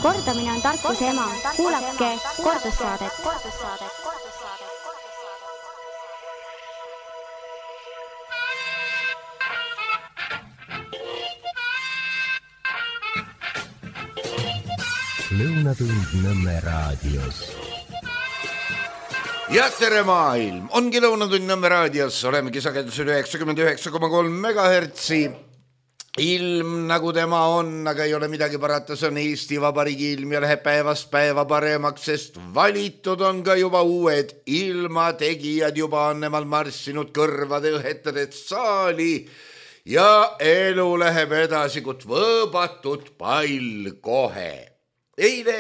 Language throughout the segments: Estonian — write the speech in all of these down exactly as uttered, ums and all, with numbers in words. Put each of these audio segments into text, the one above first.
Kordamine on tarkuse ema. Kuulake kordussaadet. Lõunatund Nõmme raadios. Ja tere maailm! Ongi Lõunatund Nõmme raadios. Olemegi sagedusel üheksakümmend üheksa koma kolm megahertsi. Ilm nagu tema on, aga ei ole midagi parata. See on Eesti Vabariigi ilm ja läheb päevast päeva paremaks, sest valitud on ka juba uued ilmategijad. Juba on nemal marssinud kõrvade õhetades saali ja elu läheb edasi, kut võõbatud pall kohe. Eile,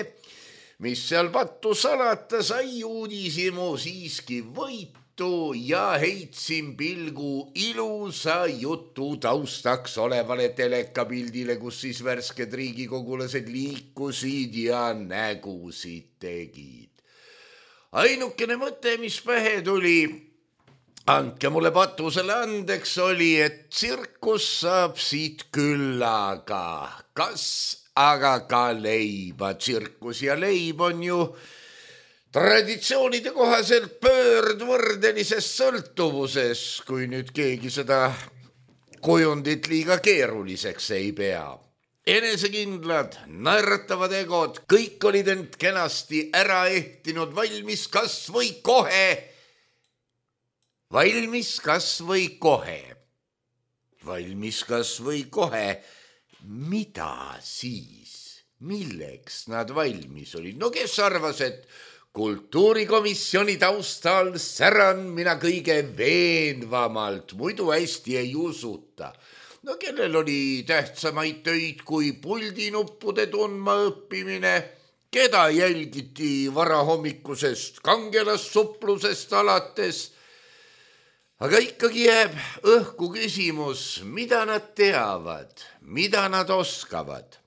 mis seal pattu salata, sai uudisimu siiski võitu ja heitsin pilgu ilusa jutu taustaks olevale telekapildile, kus siis värsked riigikogulased liikusid ja nägusid tegid. Ainukene mõte, mis pähe tuli, andke mulle patusele andeks, oli, et tsirkus saab siit küllaga. Kas aga ka leiba, tsirkus ja leib on ju traditsioonide kohaselt pöördvõrdelises sõltuvuses, kui nüüd keegi seda kujundit liiga keeruliseks ei pea. Enesekindlad, naeratavad egod, kõik olid end kenasti ära ehtinud, valmis kas või kohe, valmis kas või kohe, valmis kas või kohe. Mida siis? Milleks nad valmis olid? No kes arvas, et kultuurikomisjoni taustal säran mina kõige veenvamalt, muidu hästi ei usuta. No kellel oli tähtsamaid töid kui puldinuppude tundma õppimine, keda jälgiti varahommikusest kangelassuplusest alates. Aga ikkagi jääb õhku küsimus, mida nad teavad, mida nad oskavad.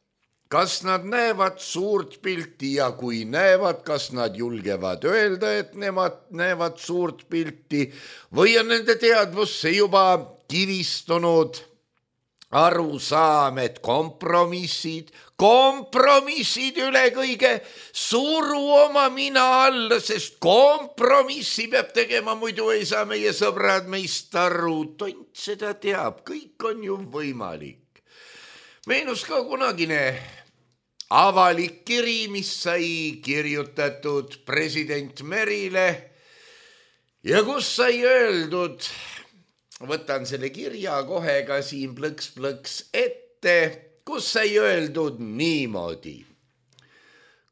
Kas nad näevad suurt pilti ja kui näevad, kas nad julgevad öelda, et nemad näevad suurt pilti või on nende teadvusse juba kivistunud arusaam, et kompromissid, kompromissid üle kõige suru oma mina alla, sest kompromissi peab tegema, muidu ei saa meie sõbrad meist aru. Tont seda teab, kõik on ju võimalik. Meenus ka kunagine avalik kiri, mis sai kirjutatud president Merile ja kus sai öeldud, võtan selle kirja kohe ka siin plõks-plõks ette, kus sai öeldud niimoodi.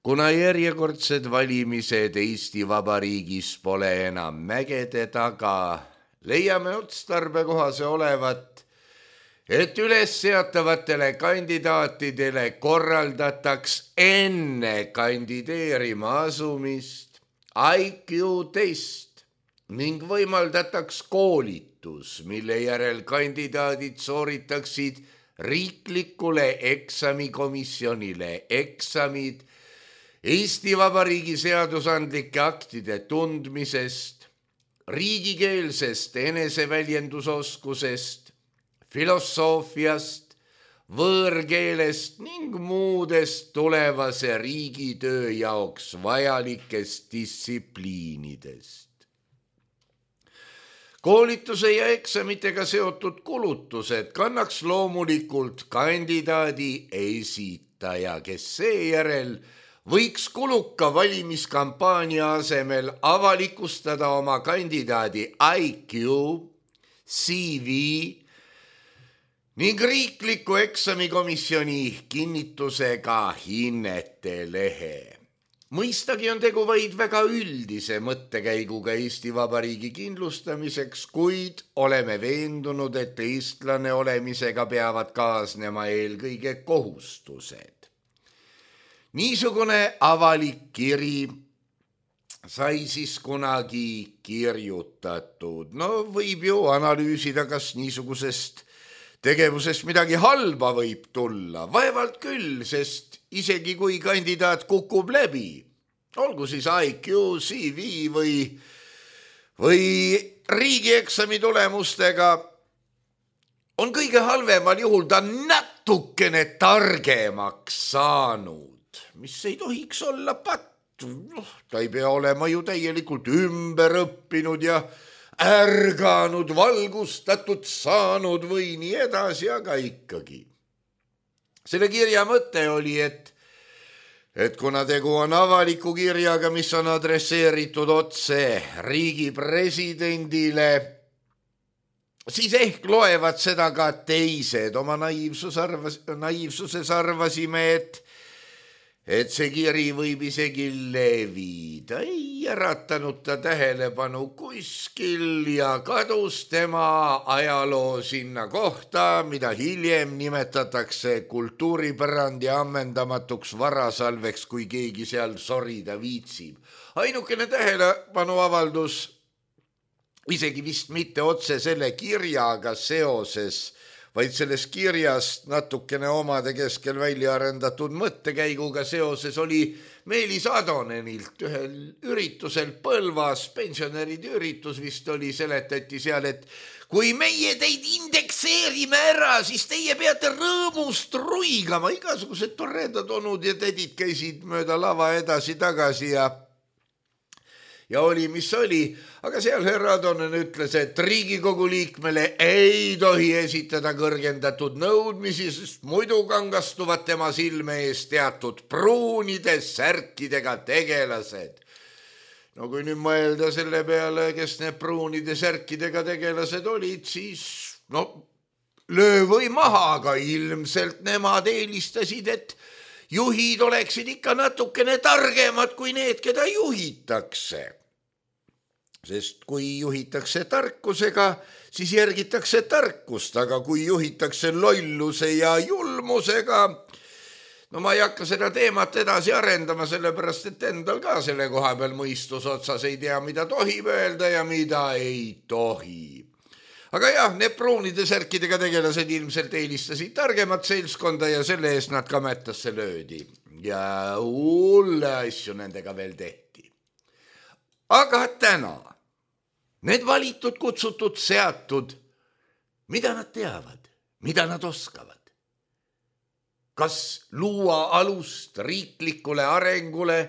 Kuna järjekordsed valimised Eesti Vabariigis pole enam mägede taga, leiame otstarbekohase olevat, et üles seatavatele kandidaatidele korraldataks enne kandideerima asumist I Q test ning võimaldataks koolitus, mille järel kandidaadid sooritaksid riiklikule eksamikomisjonile eksamid Eesti Vabariigi seadusandlike aktide tundmisest, riigikeelsest eneseväljendusoskusest, filosoofiast, võõrkeelest ning muudest tulevase riigitöö jaoks vajalikest distsipliinidest. Koolituse ja eksamitega seotud kulutused kannaks loomulikult kandidaadi esitaja, kes seejärel võiks kuluka valimiskampaania asemel avalikustada oma kandidaadi I Q, C V ning riikliku eksamikomisjoni kinnitusega hinnete lehe. Mõistagi on tegu vaid väga üldise mõttekäiguga Eesti Vabariigi kindlustamiseks, kuid oleme veendunud, et eestlane olemisega peavad kaasnema eelkõige kohustused. Niisugune avalik kiri sai siis kunagi kirjutatud. No võib ju analüüsida, kas niisugusest tegevusest midagi halba võib tulla. Vaevalt küll, sest isegi kui kandidaat kukub läbi, olgu siis I Q, C V või, või riigieksami tulemustega, on kõige halvemal juhul ta natukene targemaks saanud. mis ei tohiks olla patt. No, ta ei pea olema ju täielikult ümber õppinud ja ärganud, valgustatud saanud või nii edasi, aga ikkagi. Selle kirja mõte oli, et, et kuna tegu on avaliku kirjaga, mis on adresseeritud otse riigi presidendile, siis ehk loevad seda ka teised. Oma naiivsus arvas, naiivsuses arvasime, et et see kiri võib isegi levida. Ei äratanud ta tähelepanu kuskil ja kadus tema ajaloo sinna kohta, mida hiljem nimetatakse kultuuripärandi ammendamatuks varasalveks, kui keegi seal sorida viitsib. Ainukene tähelepanu avaldus, isegi vist mitte otse selle kirjaga seoses, vaid selles kirjas natukene omade keskel välja arendatud mõttekäiguga seoses oli Meelis Adonenilt ühel üritusel Põlvas, pensionäride üritus vist oli, seletati seal, et kui meie teid indekseerime ära, siis teie peate rõõmust ruigama. Igasugused toredad onud ja tädid käisid mööda lava edasi-tagasi ja Ja oli, mis oli, aga seal härra Adonen ütles, et Riigikogu liikmele ei tohi esitada kõrgendatud nõudmisi, sest muidu kangastuvad tema silme ees teatud pruunide särkidega tegelased. No kui nüüd mõelda selle peale, kes need pruunide särkidega tegelased olid, siis no löö või maha, aga ilmselt nemad eelistasid, et juhid oleksid ikka natukene targemad kui need, keda juhitakse. Sest kui juhitakse tarkusega, siis järgitakse tarkust, aga kui juhitakse lolluse ja julmusega, no ma ei hakka seda teemat edasi arendama, sellepärast et endal ka selle koha peal mõistus otsas ei tea, mida tohib öelda ja mida ei tohi. Aga jah, need pruunide särkidega tegelased ilmselt eelistasid targemat seltskonda ja selle eest nad kametasse löödi. Ja hulle asju nendega veel tehti. Aga täna need valitud, kutsutud, seatud, mida nad teavad, mida nad oskavad? Kas luua alust riiklikule arengule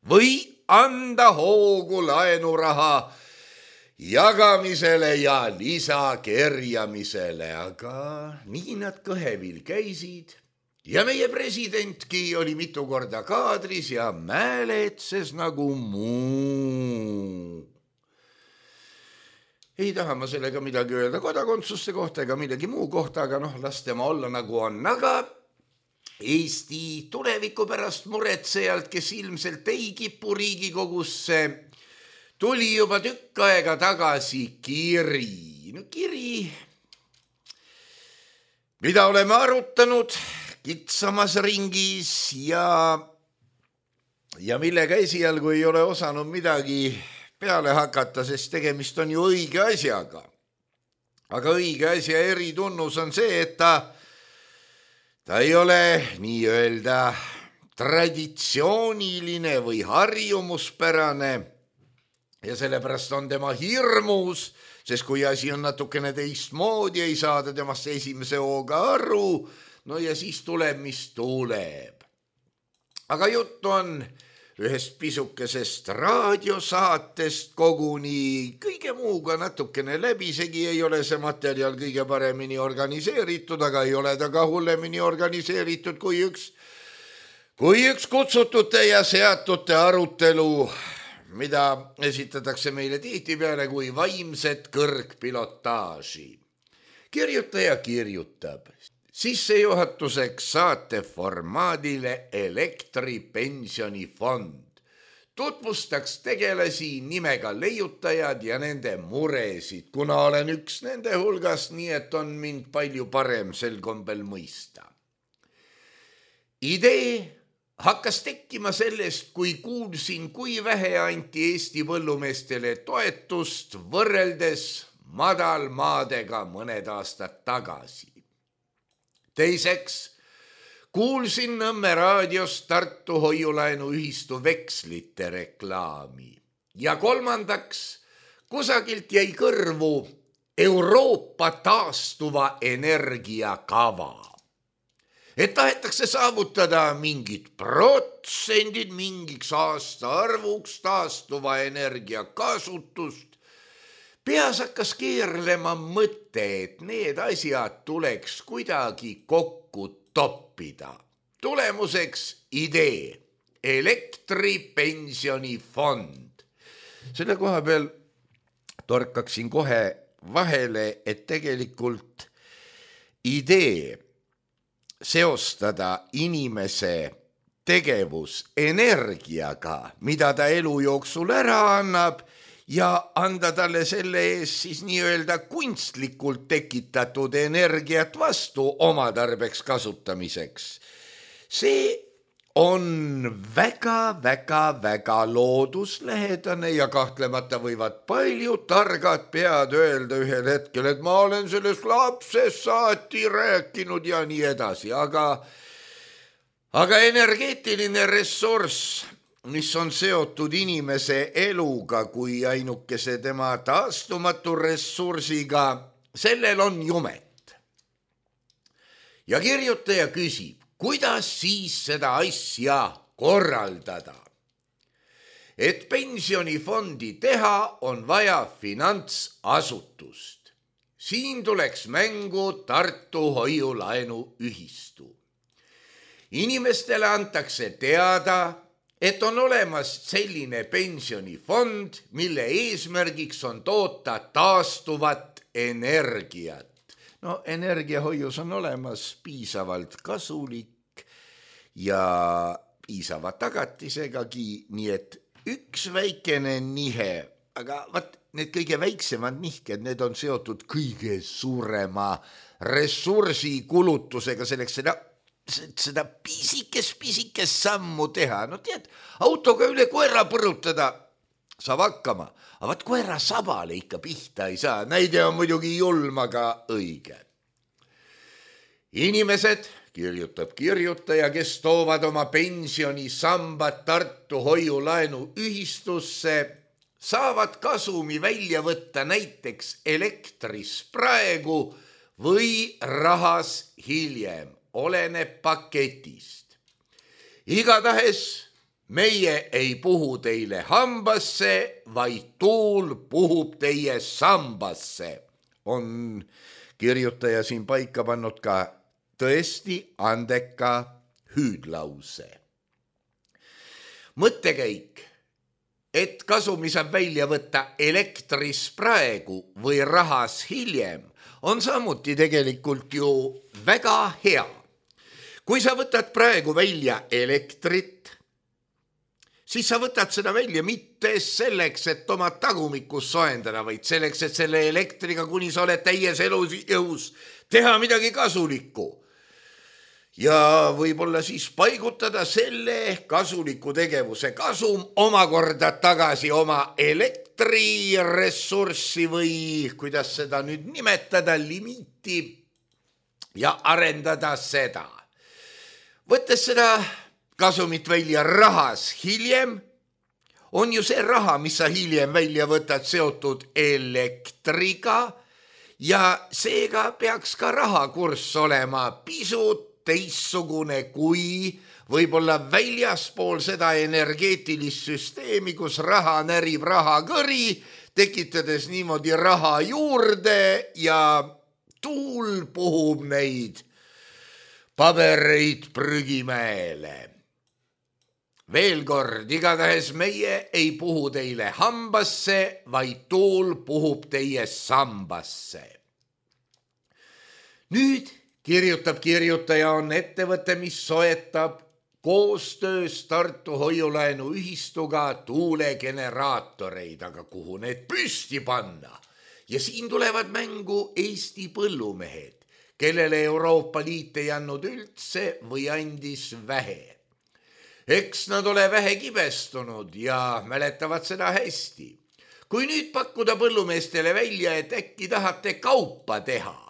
või anda hoogu laenuraha jagamisele ja lisakerjamisele, aga nii nad kõhevil käisid ja meie presidentki oli mitu korda kaadris ja määletses nagu muu. Ei taha ma sellega midagi öelda kodakondsuste kohta ega midagi muu kohta, aga noh, las tema olla nagu on. Aga Eesti tuleviku pärast muretsejalt, kes ilmselt ei kipu Riigikogusse, tuli juba tükk aega tagasi kiri. No kiri, mida oleme arutanud kitsamas ringis ja, ja millega esialgu ei ole osanud midagi peale hakata, sest tegemist on ju õige asjaga. Aga õige asja eritunnus on see, et ta, ta ei ole nii-öelda traditsiooniline või harjumuspärane ja sellepärast on tema hirmus, sest kui asi on natukene teistmoodi, ei saada temast esimese hooga aru, no ja siis tuleb, mis tuleb. Aga juttu on ühest pisukesest raadiosaatest koguni, kõige muuga natukene läbisegi, ei ole see materjal kõige paremini organiseeritud, aga ei ole ta ka hullemini organiseeritud kui üks, kui üks kutsutute ja seatute arutelu, mida esitatakse meile tihtipeale kui vaimset kõrgpilotaaži. Kirjutaja kirjutab. Sissejuhatuseks saate formaadile elektripensionifond. Tutvustaks tegelasi nimega leiutajad ja nende muresid, kuna olen üks nende hulgas, nii et on mind palju parem sel kombel mõista. Idee hakkas tekkima sellest, kui kuulsin, kui vähe anti Eesti põllumeestele toetust võrreldes madalmaadega mõned aastad tagasi. Teiseks, kuulsin Nõmme raadios Tartu hoiulaenu ühistu vekslite reklaami. Ja kolmandaks, kusagilt jäi kõrvu Euroopa taastuva energia kava. et tahetakse saavutada mingid protsendid mingiks aastaarvuks taastuva energia kasutust. Peas hakkas keerlema mõte, et need asjad tuleks kuidagi kokku toppida. Tulemuseks idee, elektripensionifond. Selle koha peal torkaksin kohe vahele, et tegelikult idee seostada inimese tegevus energiaga, mida ta elu jooksul ära annab ja anda talle selle ees siis nii-öelda kunstlikult tekitatud energiat vastu oma tarbeks kasutamiseks. See on väga-väga-väga looduslähedane ja kahtlemata võivad paljud targad pead öelda ühel hetkel, et ma olen sellest lapsest saati rääkinud ja nii edasi, aga, aga energeetiline ressurss, mis on seotud inimese eluga kui ainukese tema taastumatu ressursiga, sellel on jumet. Ja kirjutaja küsib, kuidas siis seda asja korraldada? Et pensionifondi teha, on vaja finantsasutust. Siin tuleks mängu Tartu hoiulaenuühistu. Inimestele antakse teada, et on olemas selline pensionifond, mille eesmärgiks on toota taastuvat energiat. No energiahoius on olemas piisavalt kasulik ja piisava tagatisegagi, nii et üks väikene nihe, aga vaat need kõige väiksemad nihked, need on seotud kõige suurema ressursi kulutusega selleks seda, seda pisikes-pisikes sammu teha. No tead, autoga üle koera põrutada saab hakkama, aga vaat koera sabale ikka pihta ei saa. Näide on muidugi julm, aga õige. Inimesed, kirjutab kirjutaja, kes toovad oma pensionisambad Tartu hoiulaenu ühistusse, saavad kasumi välja võtta näiteks elektris praegu või rahas hiljem, oleneb paketist. Igatahes meie ei puhu teile hambasse, vaid tuul puhub teie sambasse. On kirjutaja siin paika pannud ka tõesti andeka hüüdlause. Mõttekäik, et kasumi saab välja võtta elektris praegu või rahas hiljem, on samuti tegelikult ju väga hea. Kui sa võtad praegu välja elektrit, siis sa võtad seda välja mitte selleks, et oma tagumikus soendada, vaid selleks, et selle elektriga, kuni sa oled täies elujõus, teha midagi kasulikku. Ja võib-olla siis paigutada selle kasuliku tegevuse kasum omakorda tagasi oma elektriressurssi või kuidas seda nüüd nimetada, limiiti ja arendada seda. Võttes seda kasumit välja rahas hiljem, on ju see raha, mis sa hiljem välja võtad, seotud elektriga ja seega peaks ka rahakurss olema pisut teissugune kui võib-olla väljaspool seda energeetilist süsteemi, kus raha närib raha kõri, tekitades niimoodi raha juurde ja tuul puhub neid pabereid prügimäele. Veel kord, igatahes meie ei puhu teile hambasse, vaid tuul puhub teie sambasse. Nüüd kirjutab kirjutaja on ettevõte, mis soetab koostöös Tartu hoiulaenu ühistuga tuulegeneraatoreid, aga kuhu need püsti panna? Ja siin tulevad mängu Eesti põllumehed, kellele Euroopa Liit ei andnud üldse või andis vähe. Eks nad ole vähe kibestunud ja mäletavad seda hästi. Kui nüüd pakkuda põllumeestele välja, et äkki tahate kaupa teha,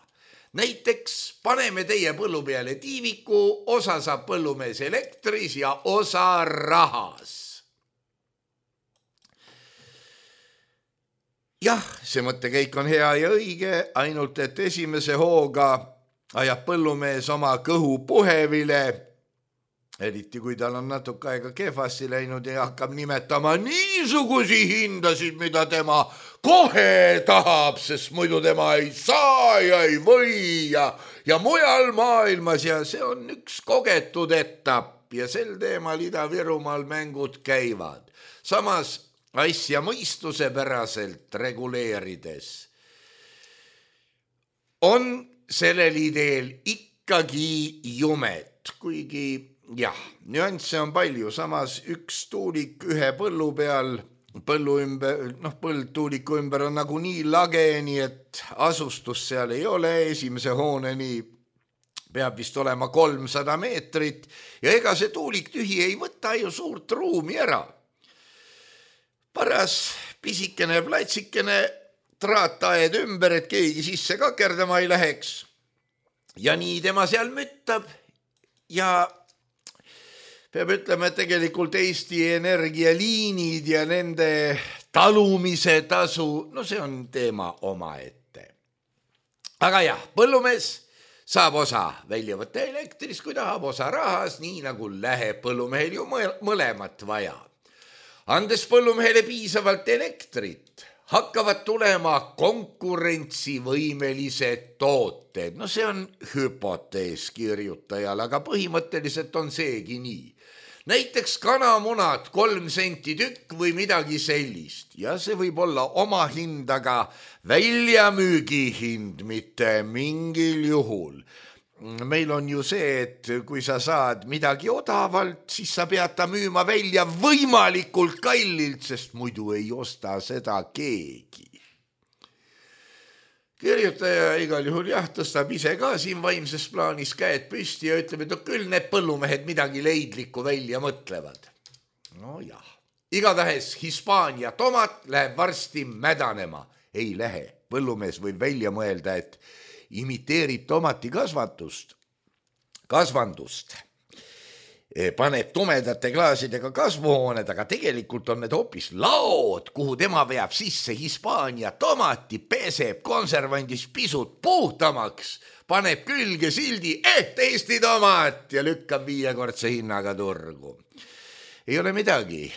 näiteks paneme teie põllu peale tiiviku, osa saab põllumees elektris ja osa rahas. Jah, see mõttekäik on hea ja õige, ainult et esimese hooga ajab põllumees oma kõhu puhevile, eriti kui tal on natuke aega kehvasti läinud ja hakkab nimetama niisugusi hindasid, mida tema kohe tahab, sest muidu tema ei saa ja ei või ja, ja mujal maailmas ja see on üks kogetud etapp ja sel teemal Ida-Virumaal mängud käivad. Samas asja mõistuse päraselt reguleerides on sellel ideel ikkagi jumet, kuigi jah, nüansse on palju, samas üks tuulik ühe põllu peal, põllu ümber, noh, põld tuuliku ümber on nagu nii lage, nii et asustust seal ei ole, esimese hooneni peab vist olema kolmsada meetrit ja ega see tuulik tühi ei võta ju suurt ruumi ära. Paras pisikene platsikene traataed ümber, et keegi sisse kakerdama ei läheks ja nii tema seal müttab ja peab ütlema, et tegelikult Eesti Energia liinid ja nende talumise tasu, no see on teema omaette. Aga jah, põllumees saab osa välja võtta elektrist, kui tahab osa rahas, nii nagu läheb põllumehel ju mõlemat vaja. Andes põllumehele piisavalt elektrit, hakkavad tulema konkurentsivõimelised tooted. No see on hüpotees kirjutajal, aga põhimõtteliselt on seegi nii. Näiteks kanamunad kolm senti tükk või midagi sellist ja see võib olla oma hind, aga väljamüügi hind mitte mingil juhul. Meil on ju see, et kui sa saad midagi odavalt, siis sa pead ta müüma välja võimalikult kallilt, sest muidu ei osta seda keegi. Kirjutaja igal juhul jah, tõstab ise ka siin vaimses plaanis käed püsti ja ütleb, et no küll need põllumehed midagi leidlikku välja mõtlevad. No jah, igatahes Hispaania tomat läheb varsti mädanema. Ei lähe, põllumees võib välja mõelda, et imiteerib tomati kasvatust, kasvandust, paneb tumedate klaasidega kasvuhooned, aga tegelikult on need hoopis laod, kuhu tema veab sisse Hispaania tomati, peseb konservandist pisut puhtamaks, paneb külge sildi, et Eesti tomat ja lükkab viiekordse hinnaga turgu. Ei ole midagi.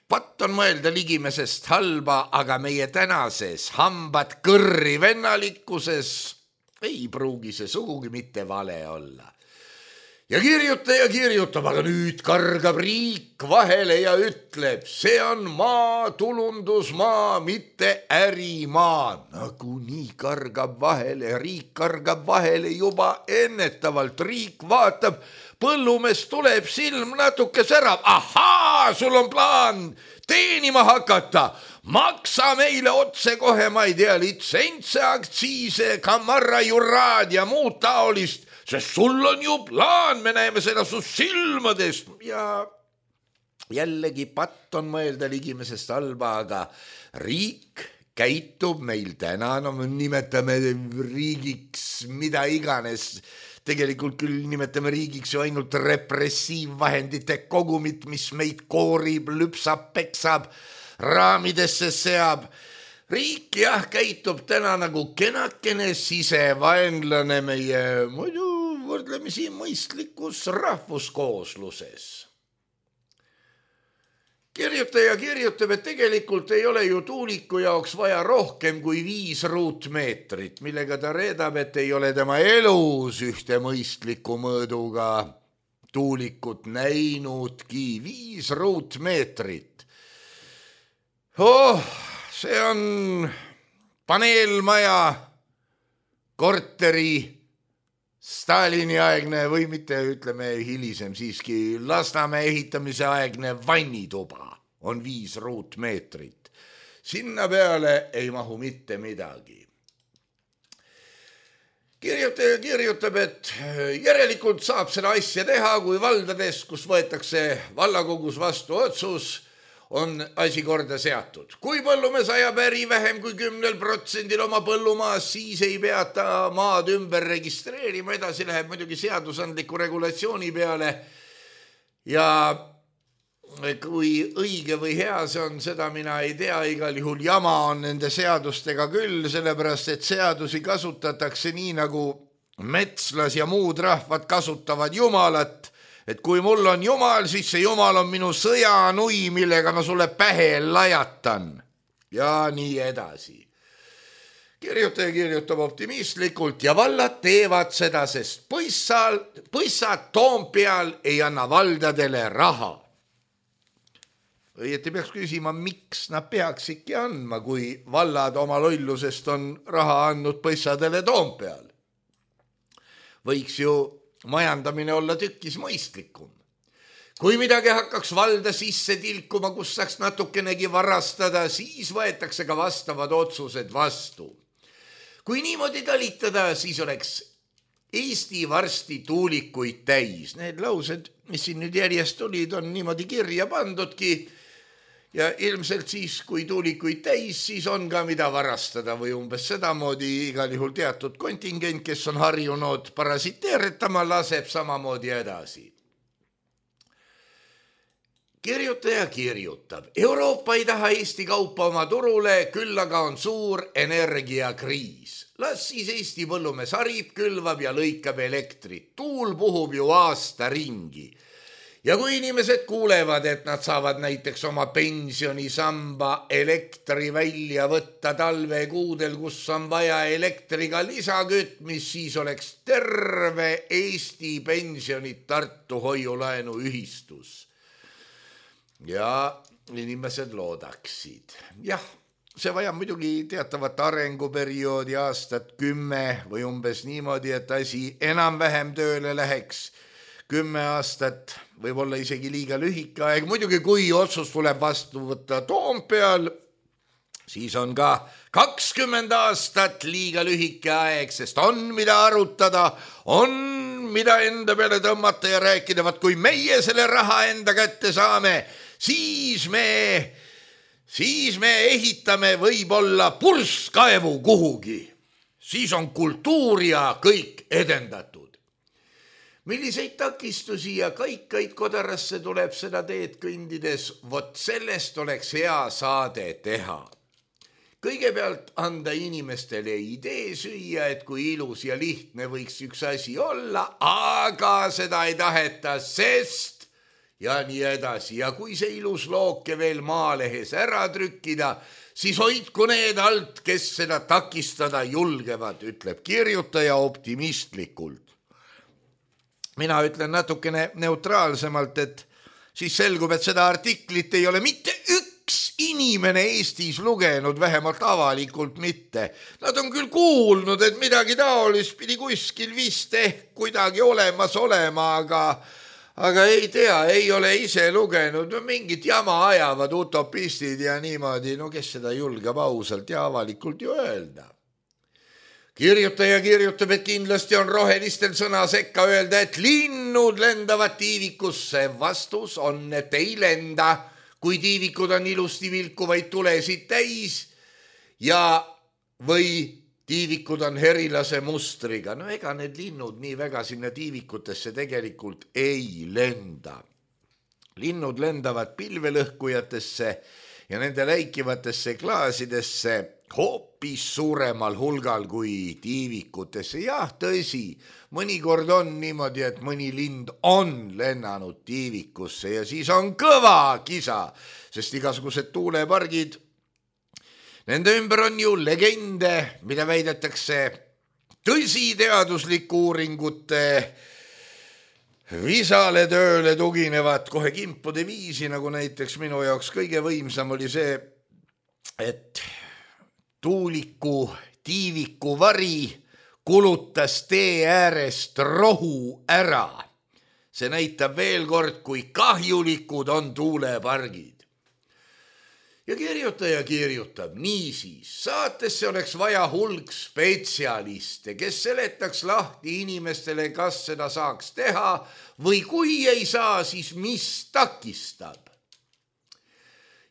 Patt on mõelda ligimesest halba, aga meie tänases hambad kõrri vennalikkuses ei pruugi see sugugi mitte vale olla. Ja kirjutaja kirjutab, aga nüüd kargab riik vahele ja ütleb, see on maa, tulundusmaa, mitte ärimaa. Nagu nii kargab vahele, riik kargab vahele juba ennetavalt. Riik vaatab, põllumees tuleb, silm natuke särab. Ahaa, sul on plaan teenima hakata. Maksa meile otse kohe, ma ei tea, litsentse, aktsiise, kamarra, juraad ja muud taolist, sest sul on ju plaan, me näeme seda su silmadest. Ja jällegi patt on mõelda ligimesest halba, aga riik käitub meil täna, no me nimetame riigiks mida iganes, tegelikult küll nimetame riigiks ju ainult repressiivvahendite kogumit, mis meid koorib, lüpsab, peksab, raamidesse seab. Riik jah käitub täna nagu kenakene sisevaenlane meie muidu võrdlemisi mõistlikus rahvuskoosluses. Kirjutaja kirjutab, et tegelikult ei ole ju tuuliku jaoks vaja rohkem kui viis ruutmeetrit, millega ta reedab, et ei ole tema elus ühte mõistliku mõõduga tuulikut näinudki. Viis ruutmeetrit. Oh, see on paneelmaja, korteri, Stalini aegne või mitte, ütleme hilisem siiski, Lasnamäe ehitamise aegne vannituba on viis ruutmeetrit. Sinna peale ei mahu mitte midagi. Kirjutaja kirjutab, et järelikult saab seda asja teha, kui valdades, kus võetakse vallakogus vastu otsus, on asi korda seatud. Kui põllumees ajab äri vähem kui kümnel protsendil oma põllumaas, siis ei peata maad ümber registreerima, edasi läheb muidugi seadusandliku regulatsiooni peale. Ja kui õige või hea see on, seda mina ei tea, igal juhul jama on nende seadustega küll, sellepärast et seadusi kasutatakse nii, nagu metslas ja muud rahvad kasutavad jumalat, et kui mul on jumal, siis see jumal on minu sõjanui, millega ma sulle pähe lajatan ja nii edasi. Kirjutaja kirjutab optimistlikult ja vallad teevad seda, sest põissal, põissad Toompeal ei anna valdadele raha. Õieti peaks küsima, miks nad peaks ikka andma, kui vallad oma lollusest on raha andnud põissadele Toompeal. Võiks ju majandamine olla tükkis mõistlikum. Kui midagi hakkaks valda sisse tilkuma, kus saaks natukenegi varastada, siis võetakse ka vastavad otsused vastu. Kui niimoodi talitada, siis oleks Eesti varsti tuulikuid täis. Need laused, mis siin nüüd järjest tulid, on niimoodi kirja pandudki ja ilmselt siis, kui tuulikuid täis, siis on ka mida varastada või umbes sedamoodi igal juhul teatud kontingent, kes on harjunud parasiteeritama, laseb samamoodi edasi. Kirjutaja kirjutab, Euroopa ei taha Eesti kaupa oma turule, küll aga on suur energiakriis. Las siis Eesti põllumees harib, külvab ja lõikab elektrit. Tuul puhub ju aasta ringi. Ja kui inimesed kuulevad, et nad saavad näiteks oma pensionisamba elektri välja võtta talvekuudel, kus on vaja elektriga lisakütmis, siis oleks terve Eesti pensionid Tartu hoiulaenu ühistus. Ja inimesed loodaksid. Jah, see vajab muidugi teatavat arenguperioodi aastat kümme või umbes niimoodi, et asi enam-vähem tööle läheks. Kümme aastat võib olla isegi liiga lühike aeg. Muidugi, kui otsus tuleb vastu võtta Toompeal, siis on ka kakskümmend aastat liiga lühike aeg, sest on mida arutada, on mida enda peale tõmmata ja rääkida, vaat kui meie selle raha enda kätte saame, siis me, siis me ehitame võib-olla purskkaevu kuhugi. Siis on kultuur ja kõik edendatud. Milliseid takistusi ja kaikaid kodarasse tuleb seda teed kõndides, vot sellest oleks hea saade teha. Kõigepealt anda inimestele idee süüa, et kui ilus ja lihtne võiks üks asi olla, aga seda ei taheta, sest ja nii edasi. Ja kui see ilus looke veel maalehes ära trükkida, siis hoidku need alt, kes seda takistada julgevad, ütleb kirjutaja optimistlikult. Mina ütlen natukene neutraalsemalt, et siis selgub, et seda artiklit ei ole mitte üks inimene Eestis lugenud, vähemalt avalikult mitte. Nad on küll kuulnud, et midagi taolist pidi kuskil vist ehk kuidagi olemas olema, aga, aga ei tea, ei ole ise lugenud. Mingit jama ajavad utopistid ja niimoodi, no kes seda julgeb ausalt ja avalikult ju öelda. Kirjutaja kirjutab, et kindlasti on rohelistel sõna sekka öelda, et linnud lendavad tiivikusse. Vastus on, et ei lenda, kui tiivikud on ilusti vilkuvaid tulesid täis ja või tiivikud on herilase mustriga. No ega need linnud nii väga sinna tiivikutesse tegelikult ei lenda. Linnud lendavad pilvelõhkujatesse ja nende läikivatesse klaasidesse hoopis suuremal hulgal kui tiivikutesse. Jah, tõsi, mõnikord on niimoodi, et mõni lind on lennanud tiivikusse ja siis on kõva kisa, sest igasugused tuulepargid, nende ümber on ju legende, mida väidetakse tõsi teadusliku uuringute visale tööle tuginevad kohe kimpude viisi, nagu näiteks minu jaoks kõige võimsam oli see, et tuuliku tiiviku vari kulutas tee äärest rohu ära. See näitab veel kord, kui kahjulikud on tuulepargid. Ja kirjutaja kirjutab niisiis, saatesse oleks vaja hulk spetsialiste, kes seletaks lahti inimestele, kas seda saaks teha või kui ei saa, siis mis takistab.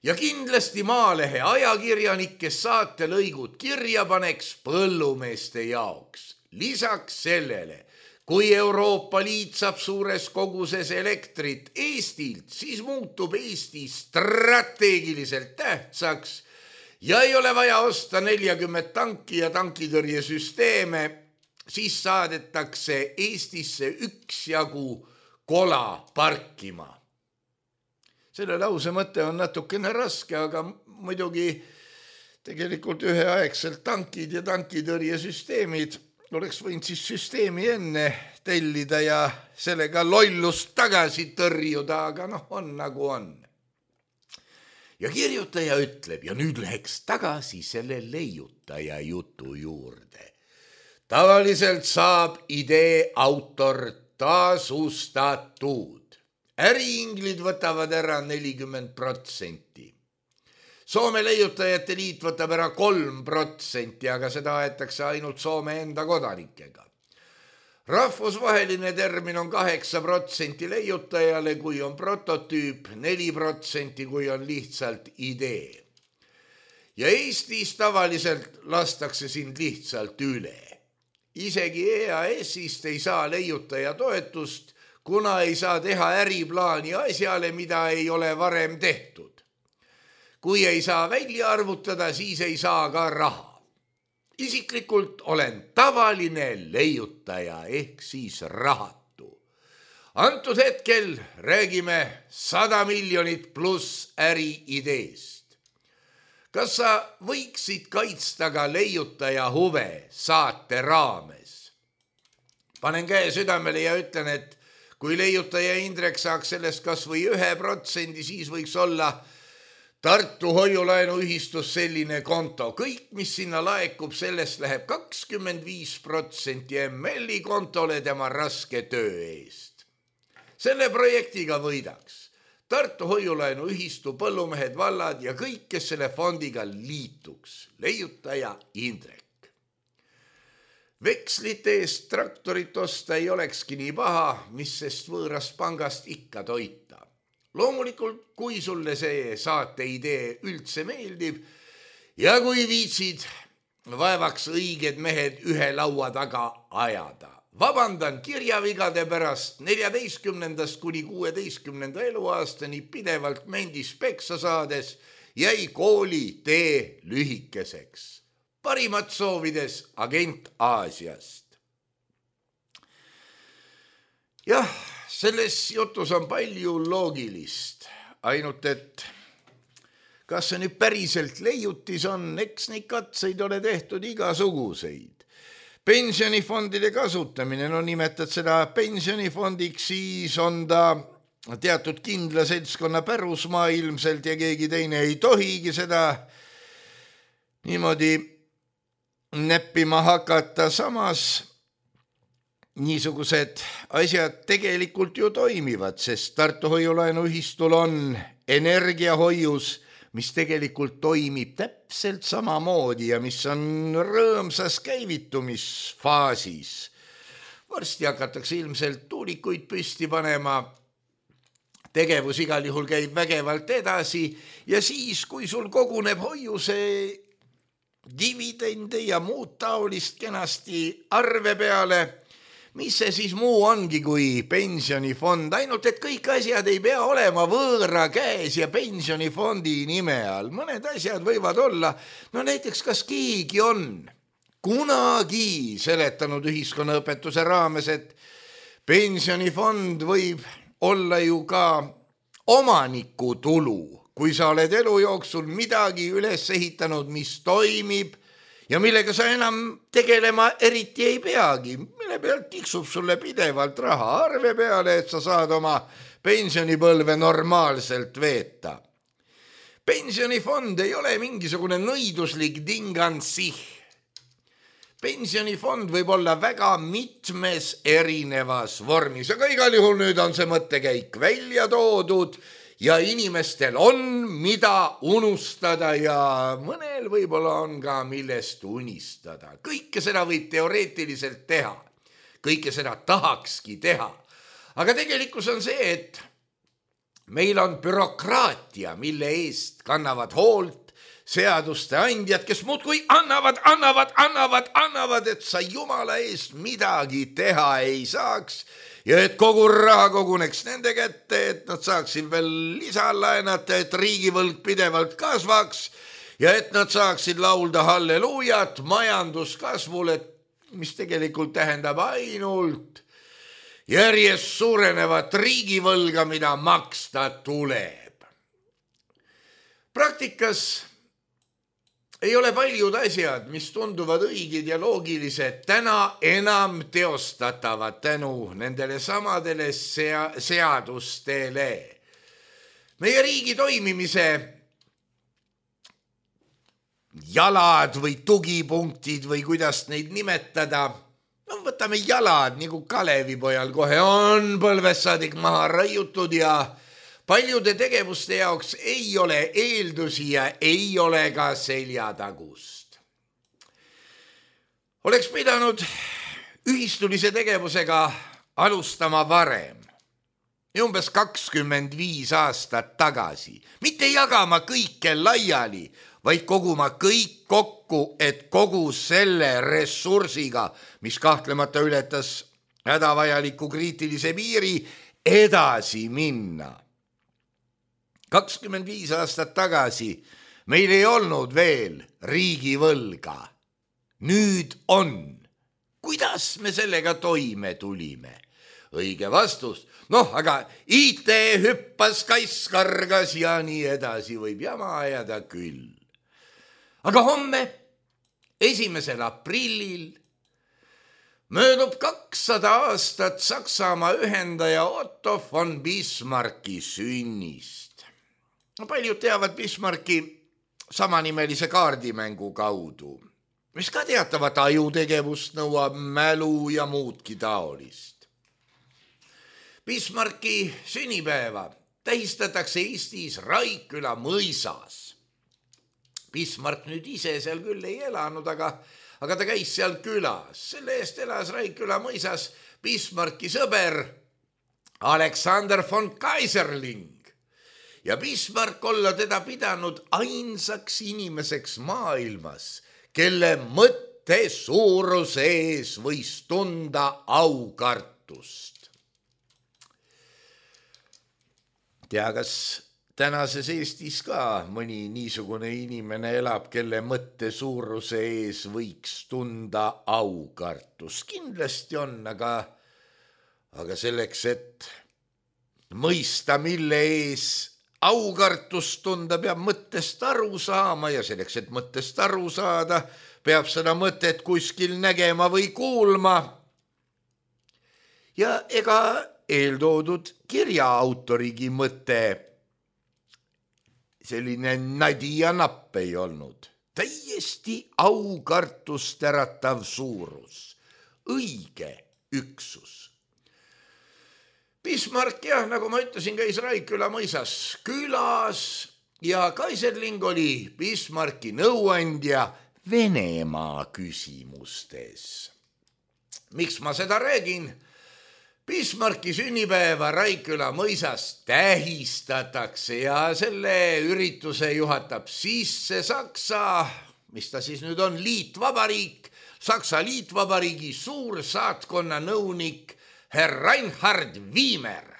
Ja kindlasti Maalehe ajakirjanik, kes saatelõigud kirja paneks põllumeeste jaoks. Lisaks sellele, kui Euroopa Liit saab suures koguses elektrit Eestilt, siis muutub Eesti strateegiliselt tähtsaks ja ei ole vaja osta nelikümmend tanki ja tankitõrjesüsteeme, siis saadetakse Eestisse üksjagu kola parkima. Selle lause mõte on natukene raske, aga muidugi tegelikult üheaegselt tankid ja tankitõrjesüsteemid oleks võinud siis süsteemi enne tellida ja sellega lollust tagasi tõrjuda, aga noh, on nagu on. Ja kirjutaja ütleb, ja nüüd läheks tagasi selle leiutaja jutu juurde. Tavaliselt saab idee autor tasustatud. Äriinglid võtavad ära nelikümmend protsenti. Soome leiutajate liit võtab ära kolm protsenti, aga seda aetakse ainult Soome enda kodanikega. Rahvusvaheline termin on kaheksa protsenti leiutajale, kui on prototüüp, neli protsenti, kui on lihtsalt idee. Ja Eestis tavaliselt lastakse sind lihtsalt üle. Isegi E A S-ist ei saa leiutaja toetust, kuna ei saa teha äriplaani asjale, mida ei ole varem tehtud. Kui ei saa välja arvutada, siis ei saa ka raha. Isiklikult olen tavaline leiutaja ehk siis rahatu. Antud hetkel räägime sada miljonit pluss äriideest. Kas sa võiksid kaitsta ka leiutaja huve saate raames? Panen käe südamele ja ütlen, et kui leiutaja Indrek saaks sellest kas või ühe protsendi, siis võiks olla Tartu hoiulaenuühistus selline konto. Kõik, mis sinna laekub, sellest läheb kakskümmend viis protsenti M L-i kontole tema raske töö eest. Selle projektiga võidaks Tartu hoiulaenuühistu, põllumehed, vallad ja kõik, kes selle fondiga liituks. Leiutaja Indrek. Vekslite eest traktorit osta ei olekski nii paha, mis sest võõrast pangast ikka toita. Loomulikult, kui sulle see saate idee üldse meeldib ja kui viitsid vaevaks õiged mehed ühe laua taga ajada. Vabandan kirjavigade pärast, neljateistkümnendast kuni kuueteistkümnenda eluaastani pidevalt mendis peksa saades jäi kooli tee lühikeseks. Parimat soovides agent Aasiast. Jah, selles jutus on palju loogilist, ainult et kas see nüüd päriselt leiutis on, eks neid katseid ole tehtud igasuguseid. Pensionifondide kasutamine, no nimetad seda pensionifondiks, siis on ta teatud kindla seltskonna pärusmaa ilmselt ja keegi teine ei tohigi seda niimoodi neppima hakata. Samas niisugused asjad tegelikult ju toimivad, sest Tartu hoiulaenuühistul on energiahoius, mis tegelikult toimib täpselt samamoodi ja mis on rõõmsas käivitumisfaasis. Varsti hakatakse ilmselt tuulikuid püsti panema, tegevus igal juhul käib vägevalt edasi ja siis, kui sul koguneb hoiuse dividende ja muud taolist kenasti arve peale, mis see siis muu ongi kui pensionifond, ainult et kõik asjad ei pea olema võõra käes ja pensionifondi nime all. Mõned asjad võivad olla, no näiteks kas keegi on kunagi seletanud ühiskonnaõpetuse raames, et pensionifond võib olla ju ka omaniku tulu, kui sa oled elu jooksul midagi üles ehitanud, mis toimib, ja millega sa enam tegelema eriti ei peagi, mille pealt tiksub sulle pidevalt raha arve peale, et sa saad oma pensionipõlve normaalselt veeta. Pensionifond ei ole mingisugune nõiduslik dingansih. Pensionifond võib olla väga mitmes erinevas vormis, aga igal juhul nüüd on see mõttekäik välja toodud, ja inimestel on, mida unustada ja mõnel võib-olla on ka millest unistada. Kõike seda võib teoreetiliselt teha. Kõike seda tahakski teha. Aga tegelikkus on see, et meil on bürokraatia, mille eest kannavad hoolt seaduste andjad, kes muudkui annavad, annavad, annavad, annavad, et sa jumala eest midagi teha ei saaks. Ja et kogu raha koguneks nende kätte, et nad saaksid veel lisalaenata, et riigivõlg pidevalt kasvaks ja et nad saaksid laulda halleluujat majanduskasvule, mis tegelikult tähendab ainult järjest suurenevat riigivõlga, mida maksta tuleb. Praktikas ei ole paljud asjad, mis tunduvad õigid ja loogilised, täna enam teostatavad tänu nendele samadele sea- seadustele. Meie riigi toimimise jalad või tugipunktid või kuidas neid nimetada, no võtame jalad, nagu Kalevipojal kohe on põlvest saadik maha raiutud ja paljude tegevuste jaoks ei ole eeldusi ja ei ole ka seljatagust. Oleks pidanud ühistulise tegevusega alustama varem, umbes kakskümmend viis aastat tagasi, mitte jagama kõike laiali, vaid koguma kõik kokku, et kogu selle ressursiga, mis kahtlemata ületas hädavajaliku kriitilise piiri, edasi minna. kakskümmend viis aastat tagasi meil ei olnud veel riigivõlga. Nüüd on. Kuidas me sellega toime tulime? Õige vastus. Noh, aga I T hüppas, kass kargas ja nii edasi võib jama ajada küll. Aga homme, esimesel aprillil, möödub kakssada aastat Saksamaa ühendaja Otto von Bismarcki sünnist. Paljud teavad Bismarcki samanimelise kaardimängu kaudu, mis ka teatavat ajutegevust nõuab, mälu ja muudki taolist. Bismarcki sünnipäeva tähistatakse Eestis Raikküla mõisas. Bismarck nüüd ise seal küll ei elanud, aga, aga ta käis seal külas. Selle eest elas Raikküla mõisas Bismarcki sõber Alexander von Kaiserling. Ja Bismarck olla teda pidanud ainsaks inimeseks maailmas, kelle mõtte suuruse ees võis tunda aukartust. Tea, kas tänases Eestis ka mõni niisugune inimene elab, kelle mõtte suuruse ees võiks tunda aukartust? Kindlasti on, aga, aga selleks, et mõista, mille ees aukartust tunda, peab mõttest aru saama ja selleks, et mõttest aru saada, peab seda mõtet kuskil nägema või kuulma. Ja ega eeltoodud kirja autorigi mõte selline nadi ja napp ei olnud. Täiesti aukartust äratav suurus, õige üksus. Bismarck, jah, nagu ma ütlesin, käis Raikküla mõisas külas ja Kaiserling oli Bismarcki nõuandja Venemaa küsimustes. Miks ma seda räägin? Bismarcki sünnipäeva Raikküla mõisas tähistatakse ja selle ürituse juhatab sisse Saksa, mis ta siis nüüd on, liitvabariik, Saksa liitvabariigi suursaatkonna nõunik Herr Reinhard Wiemer.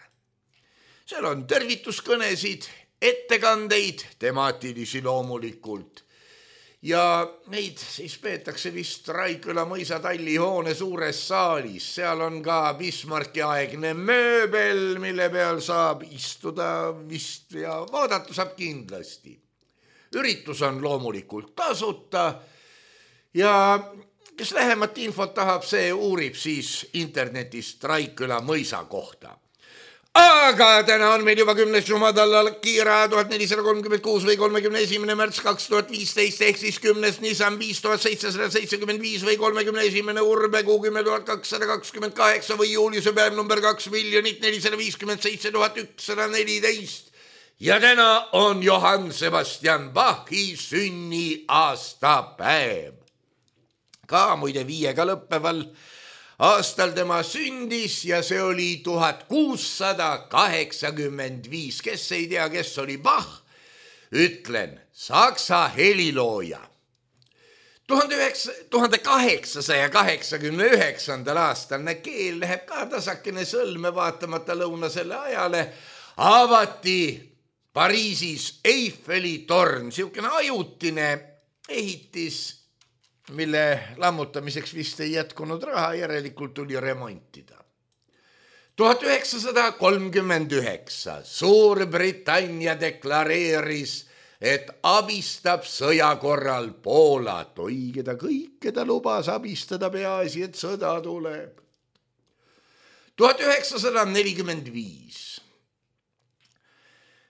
Seal on tervituskõnesid, ettekandeid, temaatilisi loomulikult. Ja neid siis peetakse vist Raikküla mõisa tallihoone suures saalis. Seal on ka Bismarcki aegne mööbel, mille peal saab istuda vist ja vaadata saab kindlasti. Üritus on loomulikult tasuta ja kes lähemat infot tahab, see uurib siis internetist Raikküla mõisa kohta. Aga täna on meil juba kümnes jumadalla kiira tuhat nelisada kolmkümmend kuus või kolmekümne esimene märts kaks tuhat viisteist ehk siis kümnes Nissan viis tuhat seitsesada seitsekümmend viis või kolmekümne esimene Urbekuu kümme tuhat kakssada kakskümmend kaheksa või juuliuse päev number kaks miljonit nelisada viiskümmend seitse tuhat ükssada neliteist. Ja täna on Johann Sebastian Bachi sünniaastapäev. Ka muide viiega lõppeval aastal tema sündis ja see oli tuhat kuussada kaheksakümmend viis. Kes ei tea, kes oli Bach? Ütlen, saksa helilooja. tuhande kaheksasaja kaheksakümne üheksandal aastal, keel läheb ka tasakene sõlme vaatamata lõunasele ajale, avati Pariisis Eiffeli torn, siukene ajutine ehitis mille lammutamiseks vist ei jätkunud raha, järelikult tuli remontida. tuhat üheksasada kolmkümmend üheksa Suurbritannia deklareeris, et abistab sõja korral Poolat. Oige ta kõike ta lubas abistada, peaasi, et sõda tuleb. tuhat üheksasada nelikümmend viis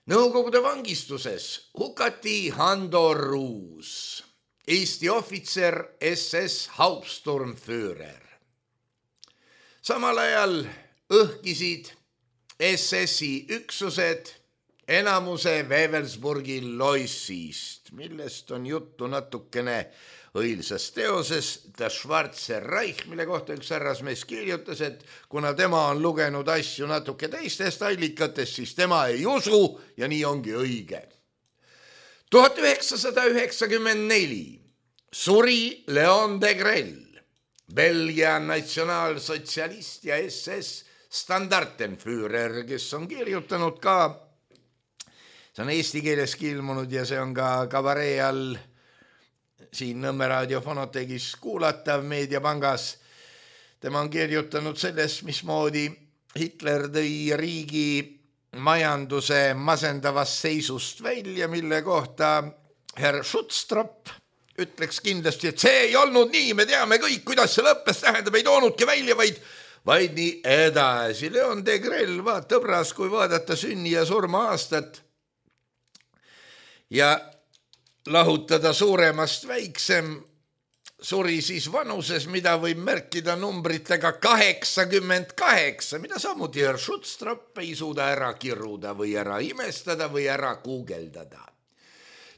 Nõukogude vangistuses hukati Hando Ruus, Eesti ohvitser, S S Hauptsturmführer. Samal ajal õhkisid S S-i üksused enamuse Wewelsburgi loissist, millest on juttu natukene õilsas teoses Der Schwarze Reich, mille kohta üks härrasmees kirjutas, et kuna tema on lugenud asju natuke teistest allikatest, siis tema ei usu ja nii ongi õige. tuhat üheksasada üheksakümmend neli suri Leon de Grell, Belgia natsionaalsotsialist ja S S Standartenführer, kes on kirjutanud ka, see on eesti keeleski ilmunud ja see on ka kabaree all siin Nõmme raadio Fonotegis kuulatav Meediapangas. Tema on kirjutanud sellest, mismoodi Hitler tõi riigi majanduse masendavast seisust välja, mille kohta herr Schutztrop ütleks kindlasti, et see ei olnud nii, me teame kõik, kuidas see lõppes, tähendab, ei toonudki välja, vaid, vaid nii edasi. Leon de Grell, vaata õbras, kui vaadata sünni ja surma aastat ja lahutada suuremast väiksem, suri siis vanuses, mida võib märkida numbritega kaheksakümmend kaheksa, mida samuti herr Schutztrop ei suuda ära kiruda või ära imestada või ära guugeldada.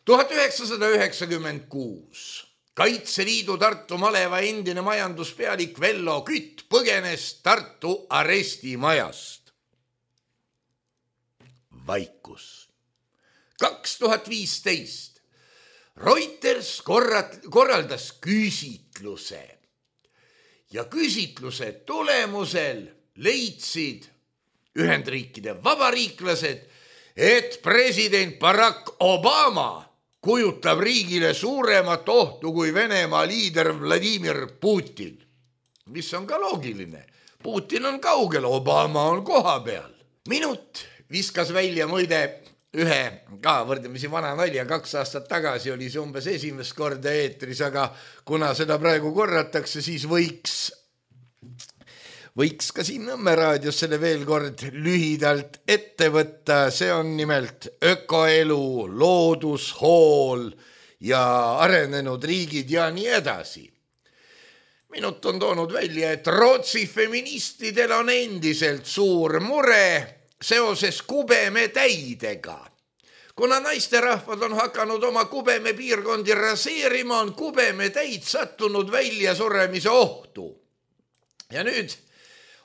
tuhat üheksasada üheksakümmend kuus Kaitseliidu Tartu maleva endine majanduspealik Vello Kütt põgenes Tartu arestimajast. Vaikus. kaks tuhat viisteist Reuters korraldas küsitluse ja küsitluse tulemusel leidsid Ühendriikide vabariiklased, et president Barack Obama kujutab riigile suuremat ohtu kui Venemaa liider Vladimir Putin, mis on ka loogiline. Putin on kaugel, Obama on koha peal. Minut viskas välja muide ühe ka võrdlemisi vana nalja, kaks aastat tagasi oli see umbes esimest korda eetris, aga kuna seda praegu korratakse, siis võiks, võiks ka siin Nõmme raadios selle veel kord lühidalt ette võtta. See on nimelt ökoelu, loodushool ja arenenud riigid ja nii edasi. Minut on toonud välja, et Rootsi feministidel on endiselt suur mure seoses kubemetäidega. Kuna naisterahvad on hakanud oma kubeme piirkondi raseerima, on kubemetäid sattunud välja suremise ohtu. Ja nüüd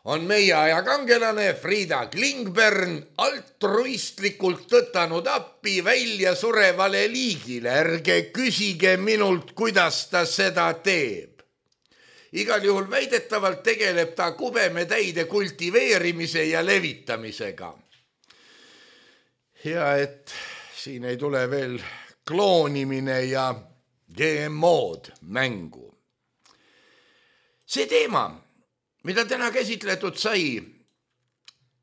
on meie aja kangelane Frida Klingberg altruistlikult tõtanud appi välja surevale liigile. Ärge küsige minult, kuidas ta seda teeb. Igal juhul väidetavalt tegeleb ta kubemetäide kultiveerimise ja levitamisega. Ja et siin ei tule veel kloonimine ja G M O-d mängu. See teema, mida täna käsitletud sai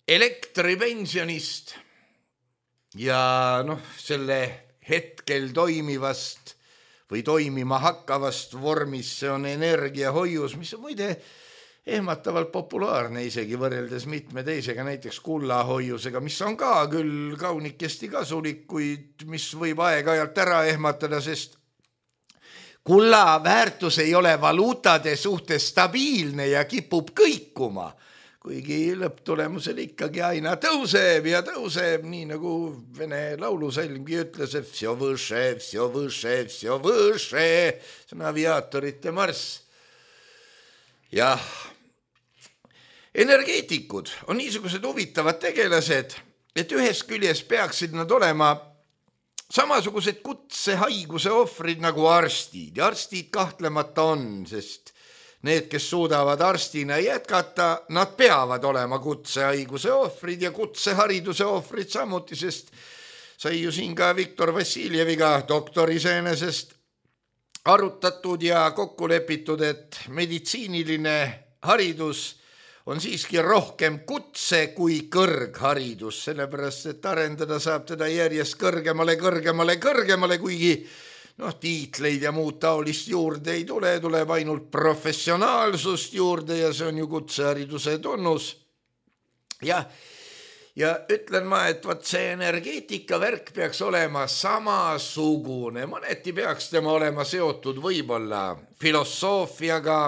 elektripensionist ja noh, selle hetkel toimivast või toimima hakkavast vormis, see on energiahoius, mis on muide ehmatavalt populaarne isegi võrreldes mitme teisega, näiteks kullahoiusega, mis on ka küll kaunikesti kasulik, kuid mis võib aeg-ajalt ära ehmatada, sest kulla väärtus ei ole valuutade suhtes stabiilne ja kipub kõikuma, kuigi lõpptulemusel ikkagi aina tõuseb ja tõuseb, nii nagu vene laulusalmgi ütles, et vsjo võše, vsjo võše, vsjo võše, see on aviaatorite marss. Jah, energeetikud on niisugused huvitavad tegelased, et ühest küljest peaksid nad olema samasugused kutsehaiguse ohvrid nagu arstid. Ja arstid kahtlemata on, sest need, kes suudavad arstina jätkata, nad peavad olema kutsehaiguse ohvrid ja kutsehariduse ohvrid samuti, sest sai ju siin ka Viktor Vassiljeviga doktor iseenesest arutatud ja kokku lepitud, et meditsiiniline haridus on siiski rohkem kutse kui kõrgharidus, sellepärast et arendada saab teda järjest kõrgemale, kõrgemale, kõrgemale, kuigi noh, tiitleid ja muud taolist juurde ei tule, tuleb ainult professionaalsust juurde ja see on ju kutsehariduse tunnus. Ja, ja ütlen ma, et vaat see energeetika värk peaks olema samasugune, mõneti peaks tema olema seotud võib-olla filosoofiaga,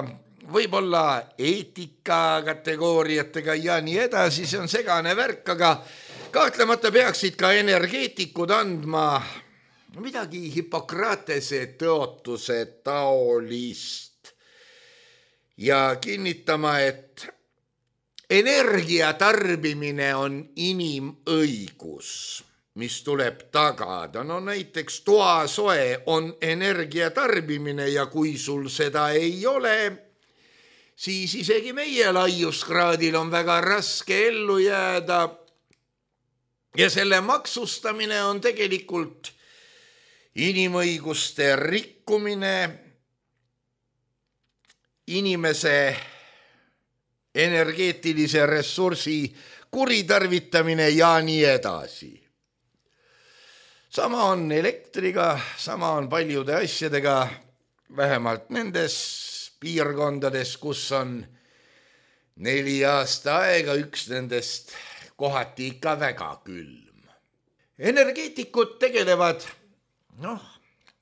võib-olla eetika kategooriatega ja nii edasi, see on segane värk, aga kahtlemata peaksid ka energeetikud andma midagi Hippokratese tõotuse taolist ja kinnitama, et energia tarbimine on inimõigus, mis tuleb tagada. No näiteks toasoe on energia tarbimine ja kui sul seda ei ole, siis isegi meie laiuskraadil on väga raske ellu jääda ja selle maksustamine on tegelikult inimõiguste rikkumine, inimese energeetilise ressursi kuritarvitamine ja nii edasi. Sama on elektriga, sama on paljude asjadega, vähemalt nendes piirkondades, kus on neli aasta aega, üks nendest kohati ikka väga külm. Energeetikud tegelevad noh,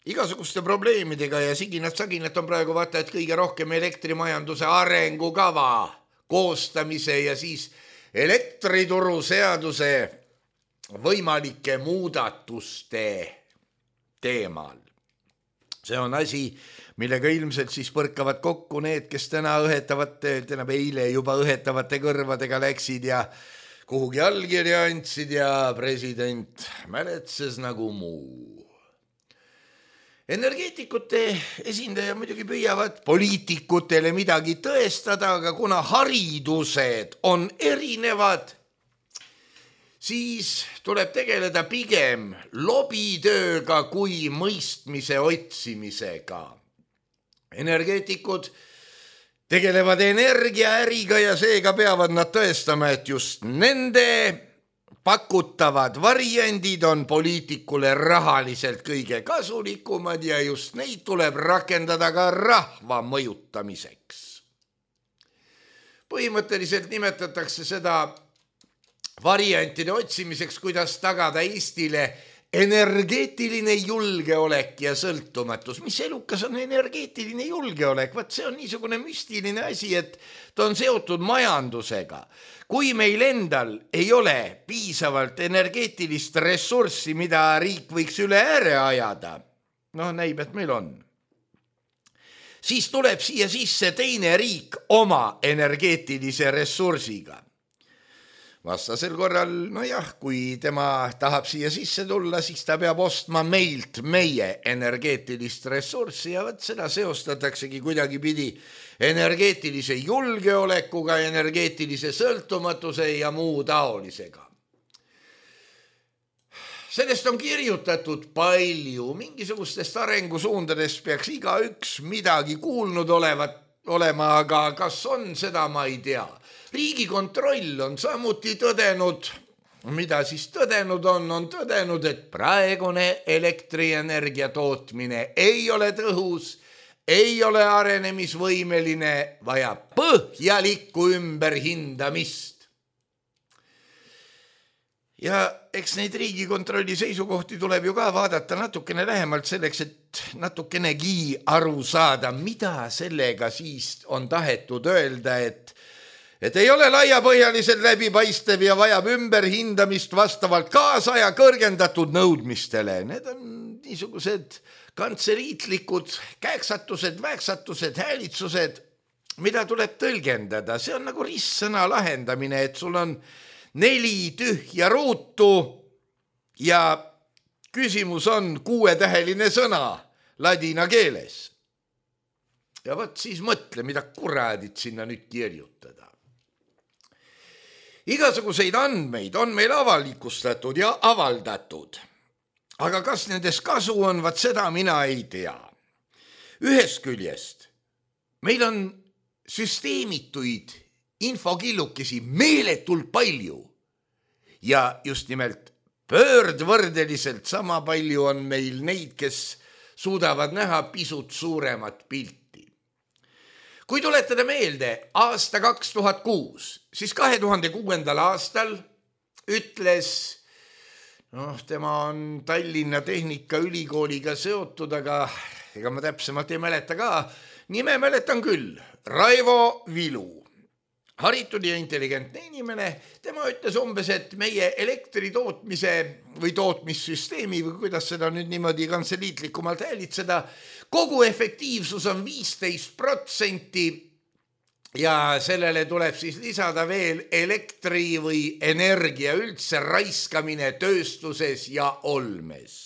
igasuguste probleemidega ja siginat-saginat on praegu vaata, et kõige rohkem elektrimajanduse arengukava koostamise ja siis elektrituru seaduse võimalike muudatuste teemal. See on asi, millega ilmselt siis põrkavad kokku need, kes täna õhetavate, täna eile juba õhetavate kõrvadega läksid ja kuhugi allkirja andsid ja president mäletses nagu muu. Energeetikute esindaja muidugi püüavad poliitikutele midagi tõestada, aga kuna haridused on erinevad, siis tuleb tegeleda pigem lobitööga kui mõistmise otsimisega. Energeetikud tegelevad energiaäriga ja seega peavad nad tõestama, et just nende pakutavad variandid on poliitikule rahaliselt kõige kasulikumad ja just neid tuleb rakendada ka rahva mõjutamiseks. Põhimõtteliselt nimetatakse seda variantide otsimiseks, kuidas tagada Eestile energeetiline julgeolek ja sõltumatus. Mis elukas on energeetiline julgeolek? Vaat see on niisugune müstiline asi, et ta on seotud majandusega. Kui meil endal ei ole piisavalt energeetilist ressurssi, mida riik võiks üle ääre ajada, noh näib, et meil on, siis tuleb siia sisse teine riik oma energeetilise ressursiga. Vastasel korral, no jah, kui tema tahab siia sisse tulla, siis ta peab ostma meilt meie energeetilist ressurssi ja võt seda seostataksegi kuidagi pidi energeetilise julgeolekuga, energeetilise sõltumatuse ja muu taolisega. Sellest on kirjutatud palju, mingisugustest arengusuundadest peaks igaüks midagi kuulnud olevat, olema, aga kas on, seda ma ei tea. Riigikontroll on samuti tõdenud, mida siis tõdenud on, on tõdenud, et praegune elektrienergia tootmine ei ole tõhus, ei ole arenemisvõimeline, vaja põhjalikku ümberhindamist. Ja eks neid Riigikontrolli seisukohti tuleb ju ka vaadata natukene lähemalt selleks, et natukenegi aru saada, mida sellega siis on tahetud öelda, et et ei ole laiapõhjaliselt läbipaistev ja vajab ümberhindamist vastavalt kaasaja kõrgendatud nõudmistele. Need on niisugused kantseliitlikud käeksatused, väeksatused, häälitsused, mida tuleb tõlgendada. See on nagu ristsõna lahendamine, et sul on neli tühja ruutu ja küsimus on kuuetäheline sõna ladina keeles. Ja võt siis mõtle, mida kuradit sinna nüüd kirjutada. Igasuguseid andmeid on meil avalikustatud ja avaldatud, aga kas nendes kasu on, vaat seda mina ei tea. ühest küljest meil on süsteemituid infokillukesi meeletult palju ja just nimelt pöördvõrdeliselt sama palju on meil neid, kes suudavad näha pisut suuremat pilti. Kui tuletada meelde aasta kaks tuhat kuus, siis kahe tuhande kuuendal aastal ütles, noh, tema on Tallinna Tehnikaülikooliga seotud, aga ega ma täpsemalt ei mäleta ka, nime mäletan küll, Raivo Vilu, haritud ja intelligentne inimene, tema ütles umbes, et meie elektri tootmise või tootmissüsteemi või kuidas seda nüüd niimoodi kantseliitlikumalt häälitseda, kogu efektiivsus on viisteist protsenti ja sellele tuleb siis lisada veel elektri või energia üldse raiskamine tööstuses ja olmes.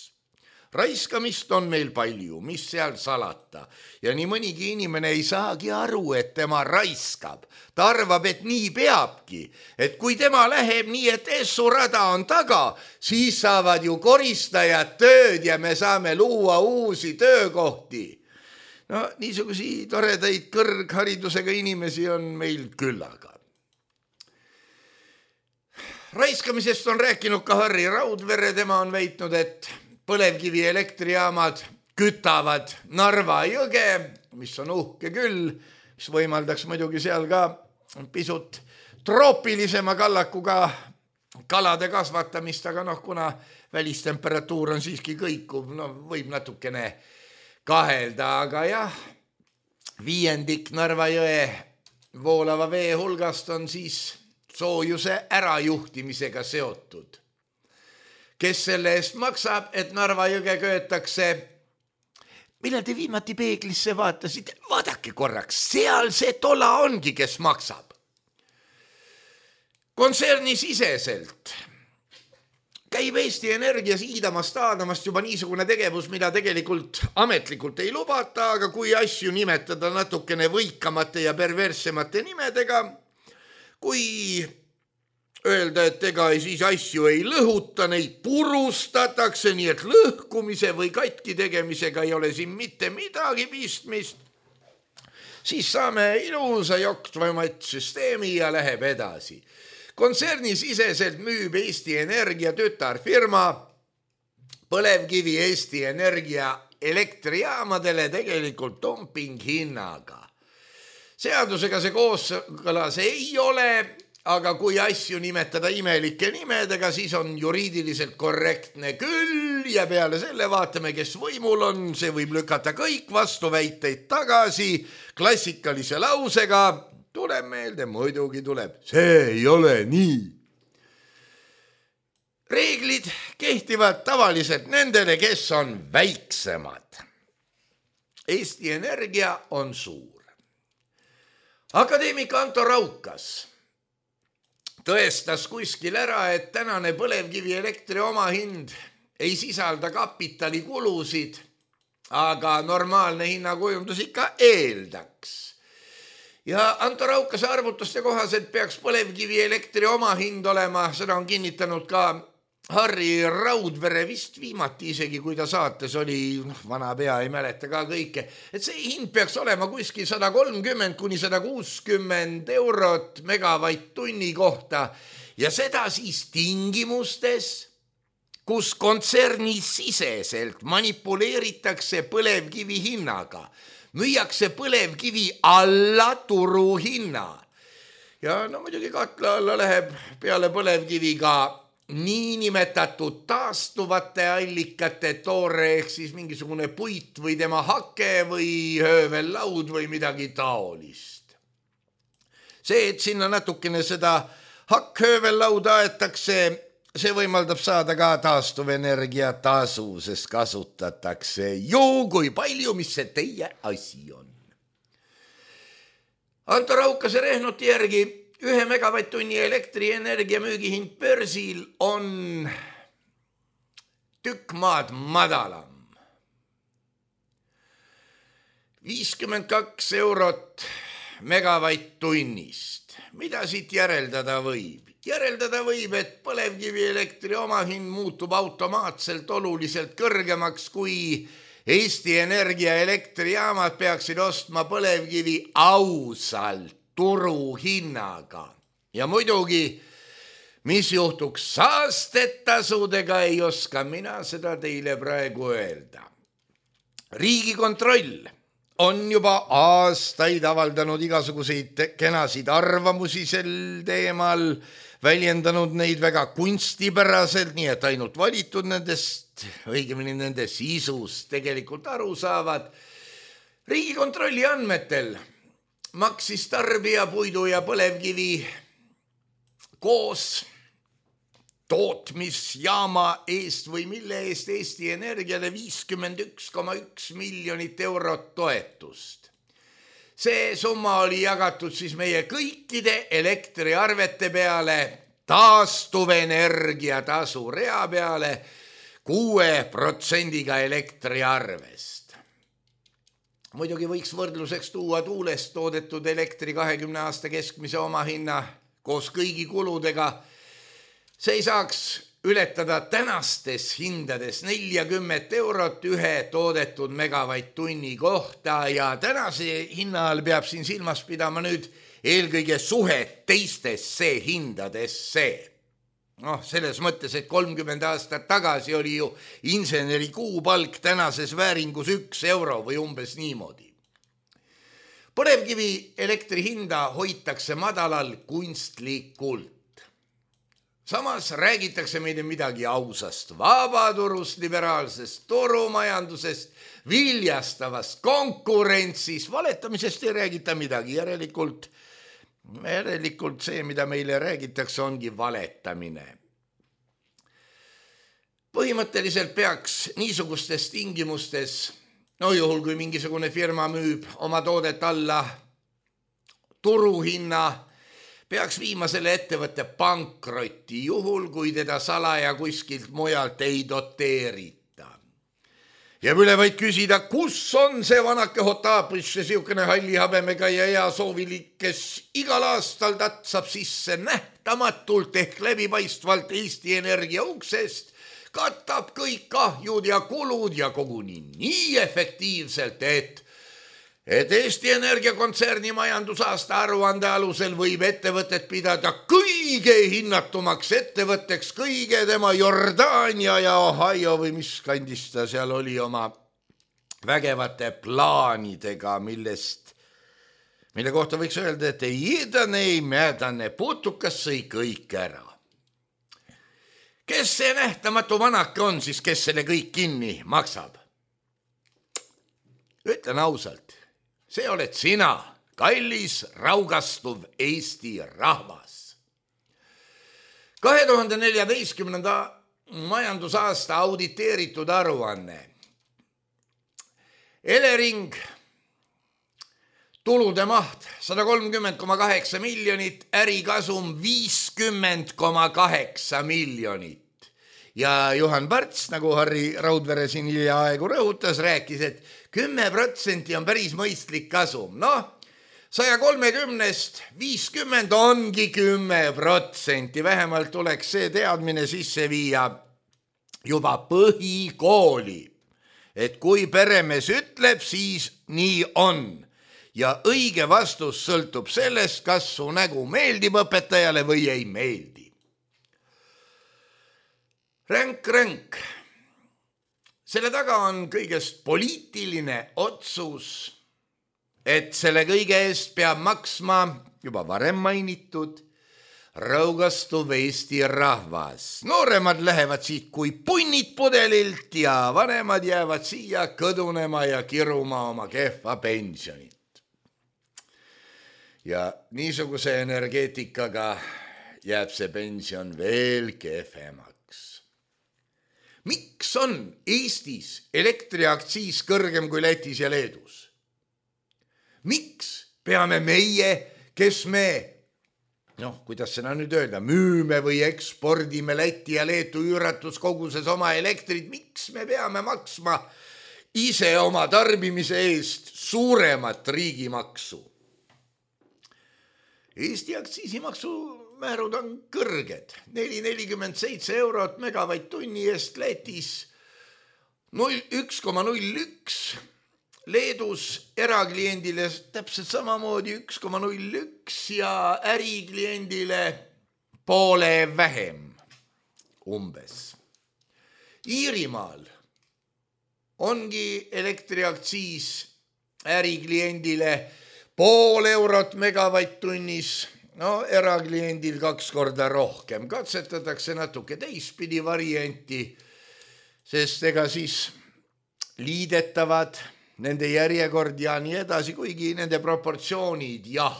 Raiskamist on meil palju, mis seal salata ja nii mõnigi inimene ei saagi aru, et tema raiskab. Ta arvab, et nii peabki, et kui tema läheb nii, et essurada on taga, siis saavad ju koristajad tööd ja me saame luua uusi töökohti. No niisugusi toredaid kõrgharidusega inimesi on meil küllaga. Raiskamisest on rääkinud ka Harri Raudvere, tema on väitnud, et põlevkivi elektrijaamad kütavad Narva jõge, mis on uhke küll, mis võimaldaks muidugi seal ka pisut troopilisema kallakuga kalade kasvatamist, aga noh, kuna välistemperatuur on siiski kõikuv, no võib natukene kahelda, aga jah, viiendik Narva jõe voolava vee hulgast on siis soojuse ärajuhtimisega seotud. Kes selle eest maksab, et Narva jõge köetakse? Millal te viimati peeglisse vaatasite? Vaadake korraks, seal see tola ongi, kes maksab. Kontserni siseselt käib Eesti Energias iidamast aadamast juba niisugune tegevus, mida tegelikult ametlikult ei lubata, aga kui asju nimetada natukene võikamate ja perverssemate nimedega, kui öelda, et ega siis asju ei lõhuta, neid purustatakse, nii et lõhkumise või katki tegemisega ei ole siin mitte midagi pistmist, siis saame ilusa joktvaimat süsteemi ja läheb edasi. Kontserni siseselt müüb Eesti Energia tütarfirma põlevkivi Eesti Energia elektrijaamadele tegelikult dumping hinnaga. Seadusega see kooskõlas ei ole, aga kui asju nimetada imelike nimedega, siis on juriidiliselt korrektne küll ja peale selle vaatame, kes võimul on, see võib lükata kõik vastuväiteid tagasi klassikalise lausega, tuleb meelde, muidugi tuleb, see ei ole nii. Reeglid kehtivad tavaliselt nendele, kes on väiksemad. Eesti Energia on suur. Akadeemik Anto Raukas tõestas kuskil ära, et tänane põlevkivi elektri omahind ei sisalda kapitalikulusid, aga normaalne hinnakujundus ikka eeldaks. Ja Anto Raukase arvutuste kohaselt peaks põlevkivi elektri omahind olema, seda on kinnitanud ka Harri Raudvere vist viimati isegi, kui ta saates oli, noh, vana pea ei mäleta ka kõike, et see hind peaks olema kuskil sada kolmkümmend kuni sada kuuskümmend eurot megavatt-tunni kohta ja seda siis tingimustes, kus kontserni siseselt manipuleeritakse põlevkivi hinnaga, müüakse põlevkivi alla turuhinna ja no muidugi katla alla läheb peale põlevkivi ka niinimetatud taastuvate allikate toore ehk siis mingisugune puit või tema hake või höövellaud või midagi taolist. See, et sinna natukene seda hakk-höövellauda aetakse, see võimaldab saada ka taastuvenergia tasu, sest kasutatakse ju kui palju, mis see teie asi on. Anto Raukase rehnuti järgi ühe megavatt-tunni elektrienergia müügihind börsil on tükk maad madalam. viiskümmend kaks eurot megavatt-tunnist. Mida siit järeldada võib? Järeldada võib, et põlevkivi elektri omahind muutub automaatselt oluliselt kõrgemaks, kui Eesti Energia elektrijaamad peaksid ostma põlevkivi ausalt turuhinnaga. Ja muidugi, mis juhtuks saastetasudega, ei oska mina seda teile praegu öelda. Riigikontroll on juba aastaid avaldanud igasuguseid kenasid arvamusi sel teemal, väljendanud neid väga kunstipäraselt, nii et ainult valitud nendest, õigemini nende sisust tegelikult aru saavad. Riigikontrolli andmetel maksis tarbija puidu ja põlevkivi koos tootmisjaama eest või mille eest Eesti Energiale viiskümmend üks koma üks miljonit eurot toetust. See summa oli jagatud siis meie kõikide elektriarvete peale, taastuvenergia tasu rea peale kuue protsendiga elektriarvest. Muidugi võiks võrdluseks tuua tuulest toodetud elektri kahekümne aasta keskmise omahinna koos kõigi kuludega. See ei saaks ületada tänastes hindades neljakümmet eurot ühe toodetud megavatt-tunni kohta ja tänase hinna all peab siin silmas pidama nüüd eelkõige suhet teistesse hindadesse. noh, selles mõttes, et kolmkümmend aastat tagasi oli ju inseneri kuupalk tänases vääringus üks euro või umbes niimoodi. Põlevkivi elektri hinda hoitakse madalal kunstlikult. Samas räägitakse meile midagi ausast vabaturust, liberaalsest turumajandusest, viljastavast konkurentsis, valetamisest ei räägita midagi, järelikult, järelikult see, mida meile räägitakse, ongi valetamine. Põhimõtteliselt peaks niisugustes tingimustes, no juhul kui mingisugune firma müüb oma toodet alla turuhinna, peaks viima selle ettevõtte pankrotti, juhul kui teda salaja kuskilt mujalt ei doteerita. Jääb üle vaid küsida, kus on see vanake Hotapiš, see siukene halli habemega ja hea soovilik, kes igal aastal tatsab sisse nähtamatult ehk läbipaistvalt Eesti Energia uksest, katab kõik kahjud ja kulud ja koguni nii efektiivselt, et et Eesti Energia kontserni majandusaasta aruande alusel võib ettevõtet pidada kõige hinnatumaks ettevõtteks kõige tema Jordaania ja Ohio või mis kandis ta seal oli oma vägevate plaanidega, millest, mille kohta võiks öelda, et ei iidane, ei mädane, putukas sõi kõik ära. Kes see nähtamatu vanake on siis, kes selle kõik kinni maksab? Ütlen ausalt. See oled sina, kallis raugastuv Eesti rahvas. kahe tuhande neljateistkümnenda majandusaasta auditeeritud aruanne. Elering, tulude maht sada kolmkümmend koma kaheksa miljonit, ärikasum viiskümmend koma kaheksa miljonit. Ja Juhan Parts, nagu Harri Raudvere siin hiljaaegu rõhutas, rääkis, et kümme protsenti on päris mõistlik kasum. Noh, saja kolmekümnest viiskümmend ongi kümme protsenti. Vähemalt tuleks see teadmine sisse viia juba põhikooli. Et kui peremees ütleb, siis nii on. Ja õige vastus sõltub sellest, kas su nägu meeldib õpetajale või ei meeldi. Ränk, ränk. Selle taga on kõigest poliitiline otsus, et selle kõige eest peab maksma juba varem mainitud raugastuv Eesti rahvas. Nooremad lähevad siit kui punnid pudelilt ja vanemad jäävad siia kõdunema ja kiruma oma kehva pensionit. Ja niisuguse energeetikaga jääb see pension veel kehvemaks. Miks on Eestis elektriaktsiis kõrgem kui Lätis ja Leedus? Miks peame meie, kes me, noh, kuidas seda nüüd öelda, müüme või ekspordime Läti ja Leetu üüratus koguses oma elektrit, miks me peame maksma ise oma tarbimise eest suuremat riigimaksu? Eesti aktsiisimaksu määrud on kõrged, neli nelikümmend seitse eurot megavatt-tunni eest Lätis. üks koma null üks, Leedus erakliendile täpselt samamoodi üks koma null üks ja ärikliendile poole vähem umbes. Iirimaal ongi elektriaktsiis ärikliendile pool eurot megavatt-tunnis, no erakliendil kaks korda rohkem. Katsetatakse natuke teistpidi varianti, sest ega siis liidetavad nende järjekord ja nii edasi, kuigi nende proportsioonid, jah.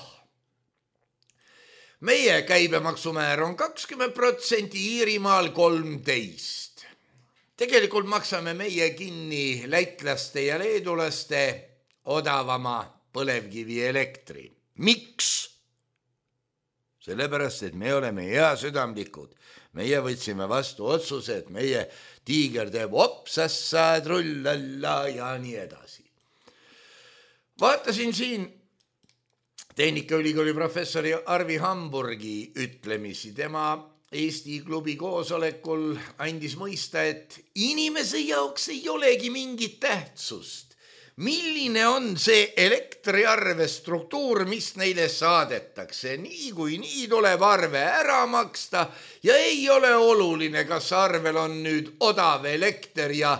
Meie käibemaksumäär on kakskümmend protsenti, Iirimaal kolmteist. Tegelikult maksame meie kinni lätlaste ja leedulaste odavama põlevkivi elektri. Miks? Sellepärast, et me oleme hea südamlikud. Meie võtsime vastu otsuse, et meie tiiger teeb opsassa, trullalla ja nii edasi. Vaatasin siin Tehnikaülikooli professori Arvi Hamburgi ütlemisi. Tema Eesti klubi koosolekul andis mõista, et inimese jaoks ei olegi mingit tähtsust. Milline on see elektriarve struktuur, mis neile saadetakse? Nii kui nii tuleb arve ära maksta ja ei ole oluline, kas arvel on nüüd odav elekter ja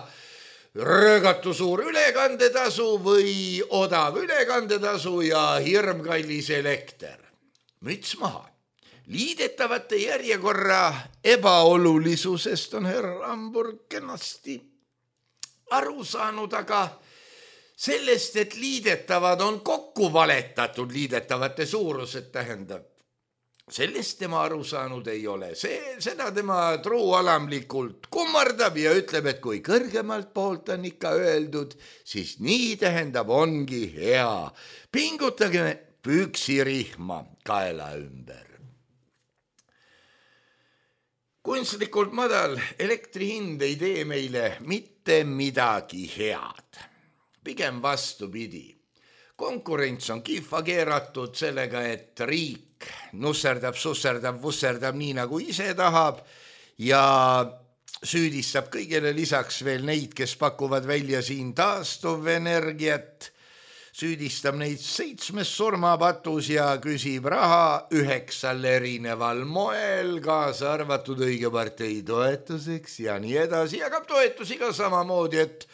röögatu suur ülekandetasu või odav ülekandetasu ja hirmkallis elekter. Müts maha. Liidetavate järjekorra ebaolulisusest on härra Hamburg kenasti aru saanud, aga sellest, et liidetavad on kokku valetatud, liidetavate suurused tähendab, sellest tema aru saanud ei ole. See, seda tema truualamlikult kummardab ja ütleb, et kui kõrgemalt poolt on ikka öeldud, siis nii tähendab ongi hea. Pingutage püksirihma kaela ümber. Kunstlikult madal elektrihind ei tee meile mitte midagi head. Pigem vastupidi. Konkurents on kihva keeratud sellega, et riik nusserdab, susserdab, vusserdab nii nagu ise tahab ja süüdistab kõigele lisaks veel neid, kes pakuvad välja siin taastuvenergiat, süüdistab neid seitsmes surmapatus ja küsib raha üheksal erineval moel, kaasa arvatud õige partei toetuseks ja nii edasi, jagab toetusi ka samamoodi, et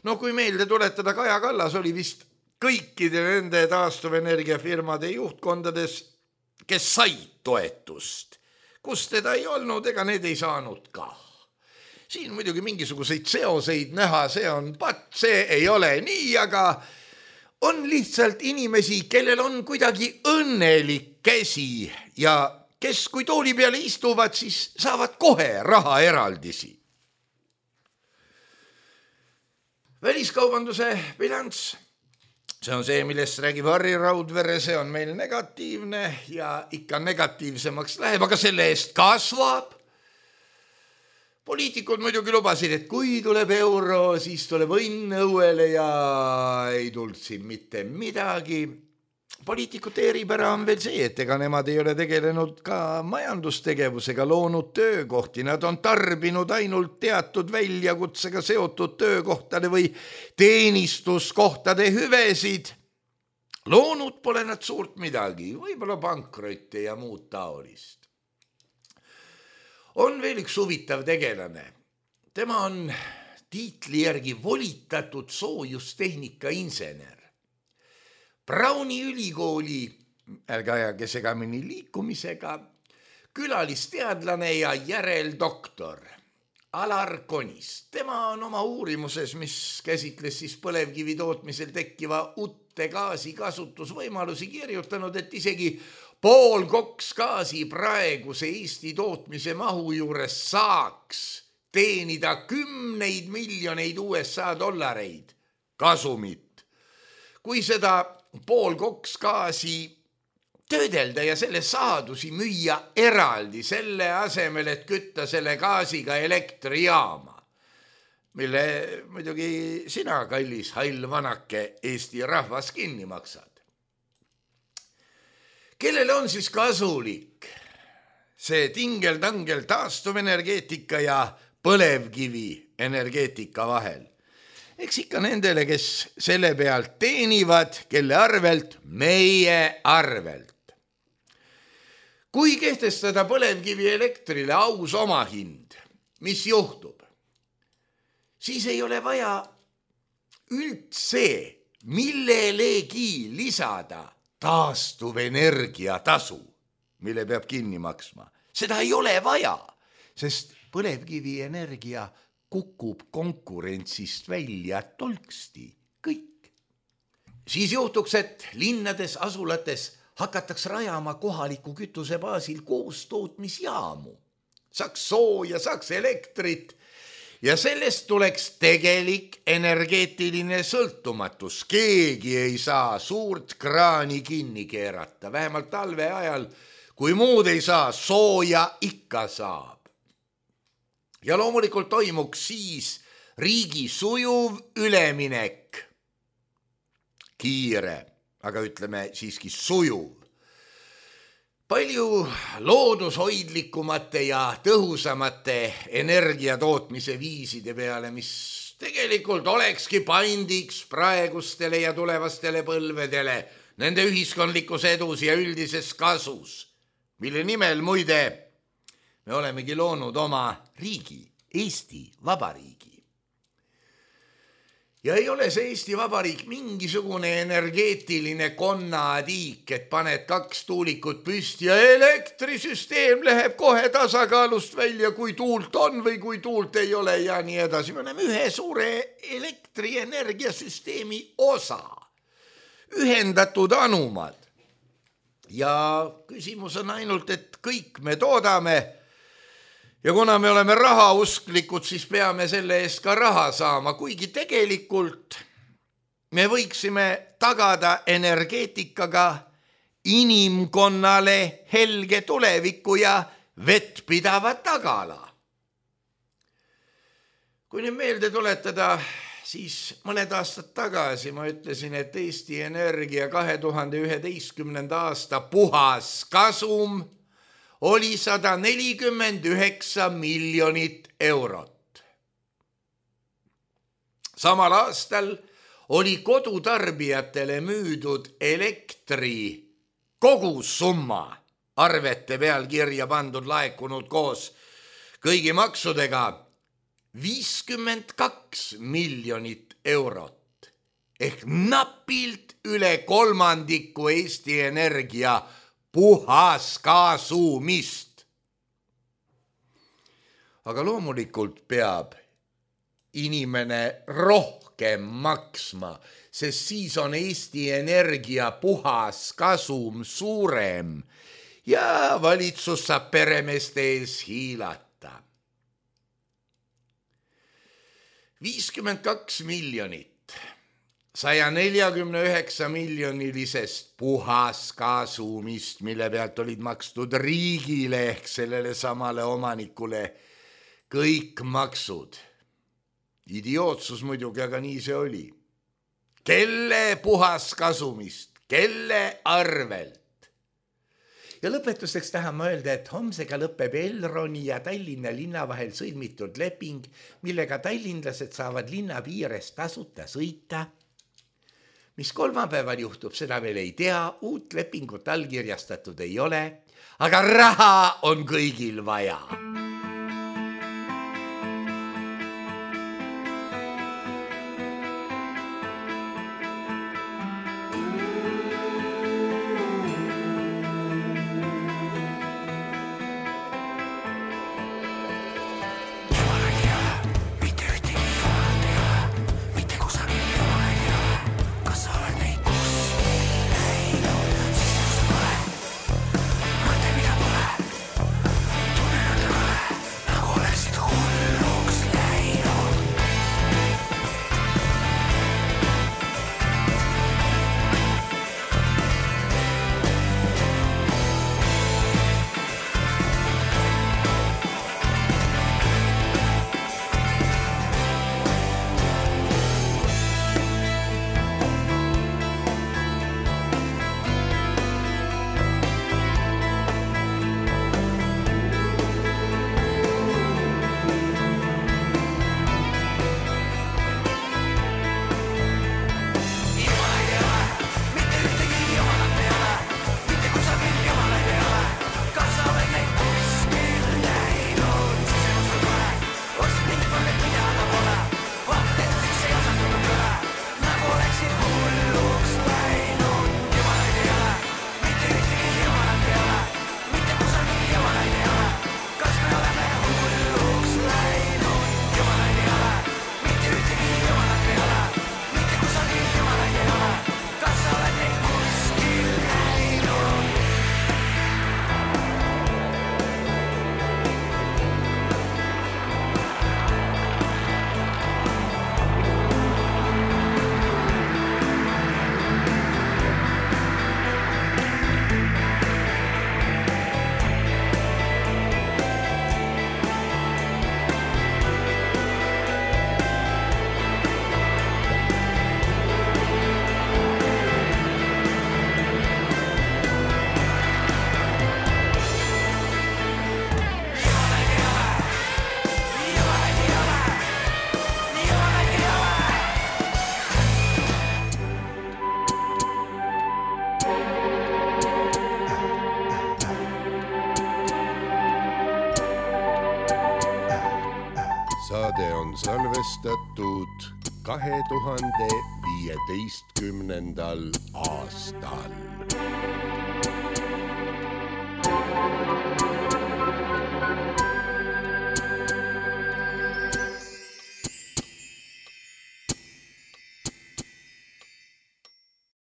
no kui meelde tuletada, Kaja Kallas oli vist kõikide nende taastuvenergiafirmade juhtkondades, kes said toetust, kus teda ei olnud, ega need ei saanud ka. Siin muidugi mingisuguseid seoseid näha, see on pat, see ei ole nii, aga on lihtsalt inimesi, kellel on kuidagi õnnelik käsi ja kes kui tooli peale istuvad, siis saavad kohe raha eraldisi. Väliskaubanduse bilanss, see on see, millest räägib Harri Raudvere, see on meil negatiivne ja ikka negatiivsemaks läheb, aga selle eest kasvab. Poliitikud muidugi lubasid, et kui tuleb euro, siis tuleb õnn õuele ja ei tulnud siin mitte midagi. Poliitikute eripära on veel see, et ega nemad ei ole tegelenud ka majandustegevusega, loonud töökohti. Nad on tarbinud ainult teatud väljakutsega seotud töökohtade või teenistuskohtade hüvesid. Loonud pole nad suurt midagi, võib-olla pankrotte ja muud taolist. On veel üks huvitav tegelane. Tema on tiitli järgi volitatud soojustehnika insener. Browni ülikooli, ärge ajage segamini liikumisega, külalisteadlane ja järeldoktor Alar Konist. Tema on oma uurimuses, mis käsitles siis põlevkivi tootmisel tekkiva uute gaasi kasutusvõimalusi, kirjutanud, et isegi pool koksgaasi praeguse Eesti tootmise mahu juures saaks teenida kümneid miljoneid U S A dollareid kasumit. Kui seda pool koksgaasi töödelda ja selle saadusi müüa eraldi selle asemel, et kütta selle gaasiga elektrijaama, mille muidugi sina, kallis hall vanake, Eesti rahvas kinni maksad. Kellele on siis kasulik see tingel-tangel taastuvenergeetika ja põlevkivi energeetika vahel? eks ikka nendele, kes selle pealt teenivad, kelle arvelt, meie arvelt. Kui kehtestada põlevkivi elektrile aus omahind, mis juhtub? Siis ei ole vaja üldse millelegi lisada taastuvenergia tasu, mille peab kinni maksma. Seda ei ole vaja, sest põlevkivienergia kukub konkurentsist välja tolksti kõik. Siis juhtuks, et linnades, asulates hakataks rajama kohaliku kütuse baasil koostootmisjaamu. Saaks sooja, saaks elektrit ja sellest tuleks tegelik energeetiline sõltumatus. Keegi ei saa suurt kraani kinni keerata, vähemalt talve ajal, kui muud ei saa, sooja ikka saab. Ja loomulikult toimuks siis riigi sujuv üleminek. Kiire, aga ütleme siiski sujuv. Palju loodushoidlikumate ja tõhusamate energiatootmise viiside peale, mis tegelikult olekski paindiks praegustele ja tulevastele põlvedele, nende ühiskondlikus edus ja üldises kasus, mille nimel muide me olemegi loonud oma riigi, Eesti Vabariigi. Ja ei ole see Eesti Vabariik mingisugune energeetiline konnatiik, et paned kaks tuulikut püsti ja elektrisüsteem läheb kohe tasakaalust välja, kui tuult on või kui tuult ei ole ja nii edasi. Me oleme ühe suure elektrienergiasüsteemi osa, ühendatud anumad. Ja küsimus on ainult, et kõik me toodame ja kuna me oleme rahausklikud, siis peame selle eest ka raha saama, kuigi tegelikult me võiksime tagada energeetikaga inimkonnale helge tuleviku ja vettpidava tagala. Kui nüüd meelde tuletada, siis mõned aastad tagasi ma ütlesin, et Eesti Energia kahe tuhande üheteistkümnenda aasta puhas kasum oli sada nelikümmend üheksa miljonit eurot. Samal aastal oli kodutarbijatele müüdud elektri kogusumma arvete peal kirja pandud laekunud koos kõigi maksudega viiskümmend kaks miljonit eurot ehk napilt üle kolmandiku Eesti Energia puhas kasumist. Aga loomulikult peab inimene rohkem maksma, sest siis on Eesti Energia puhas kasum suurem ja valitsus saab peremeeste ees hiilata. viiskümmend kaks miljonit saja neljakümne üheksa miljonilisest puhas kasumist, mille pealt olid makstud riigile ehk sellele samale omanikule kõik maksud. Idiootsus muidugi, aga nii see oli. Kelle puhas kasumist, kelle arvelt? Ja lõpetuseks tahan ma öelda, et homsega lõpeb Elroni ja Tallinna linna vahel sõlmitud leping, millega tallinlased saavad linna piires tasuta sõita. Mis kolmapäeval juhtub, seda veel ei tea, uut lepingut allkirjastatud ei ole, aga raha on kõigil vaja. on salvestatud kahe tuhande viieteistkümnendal aastal.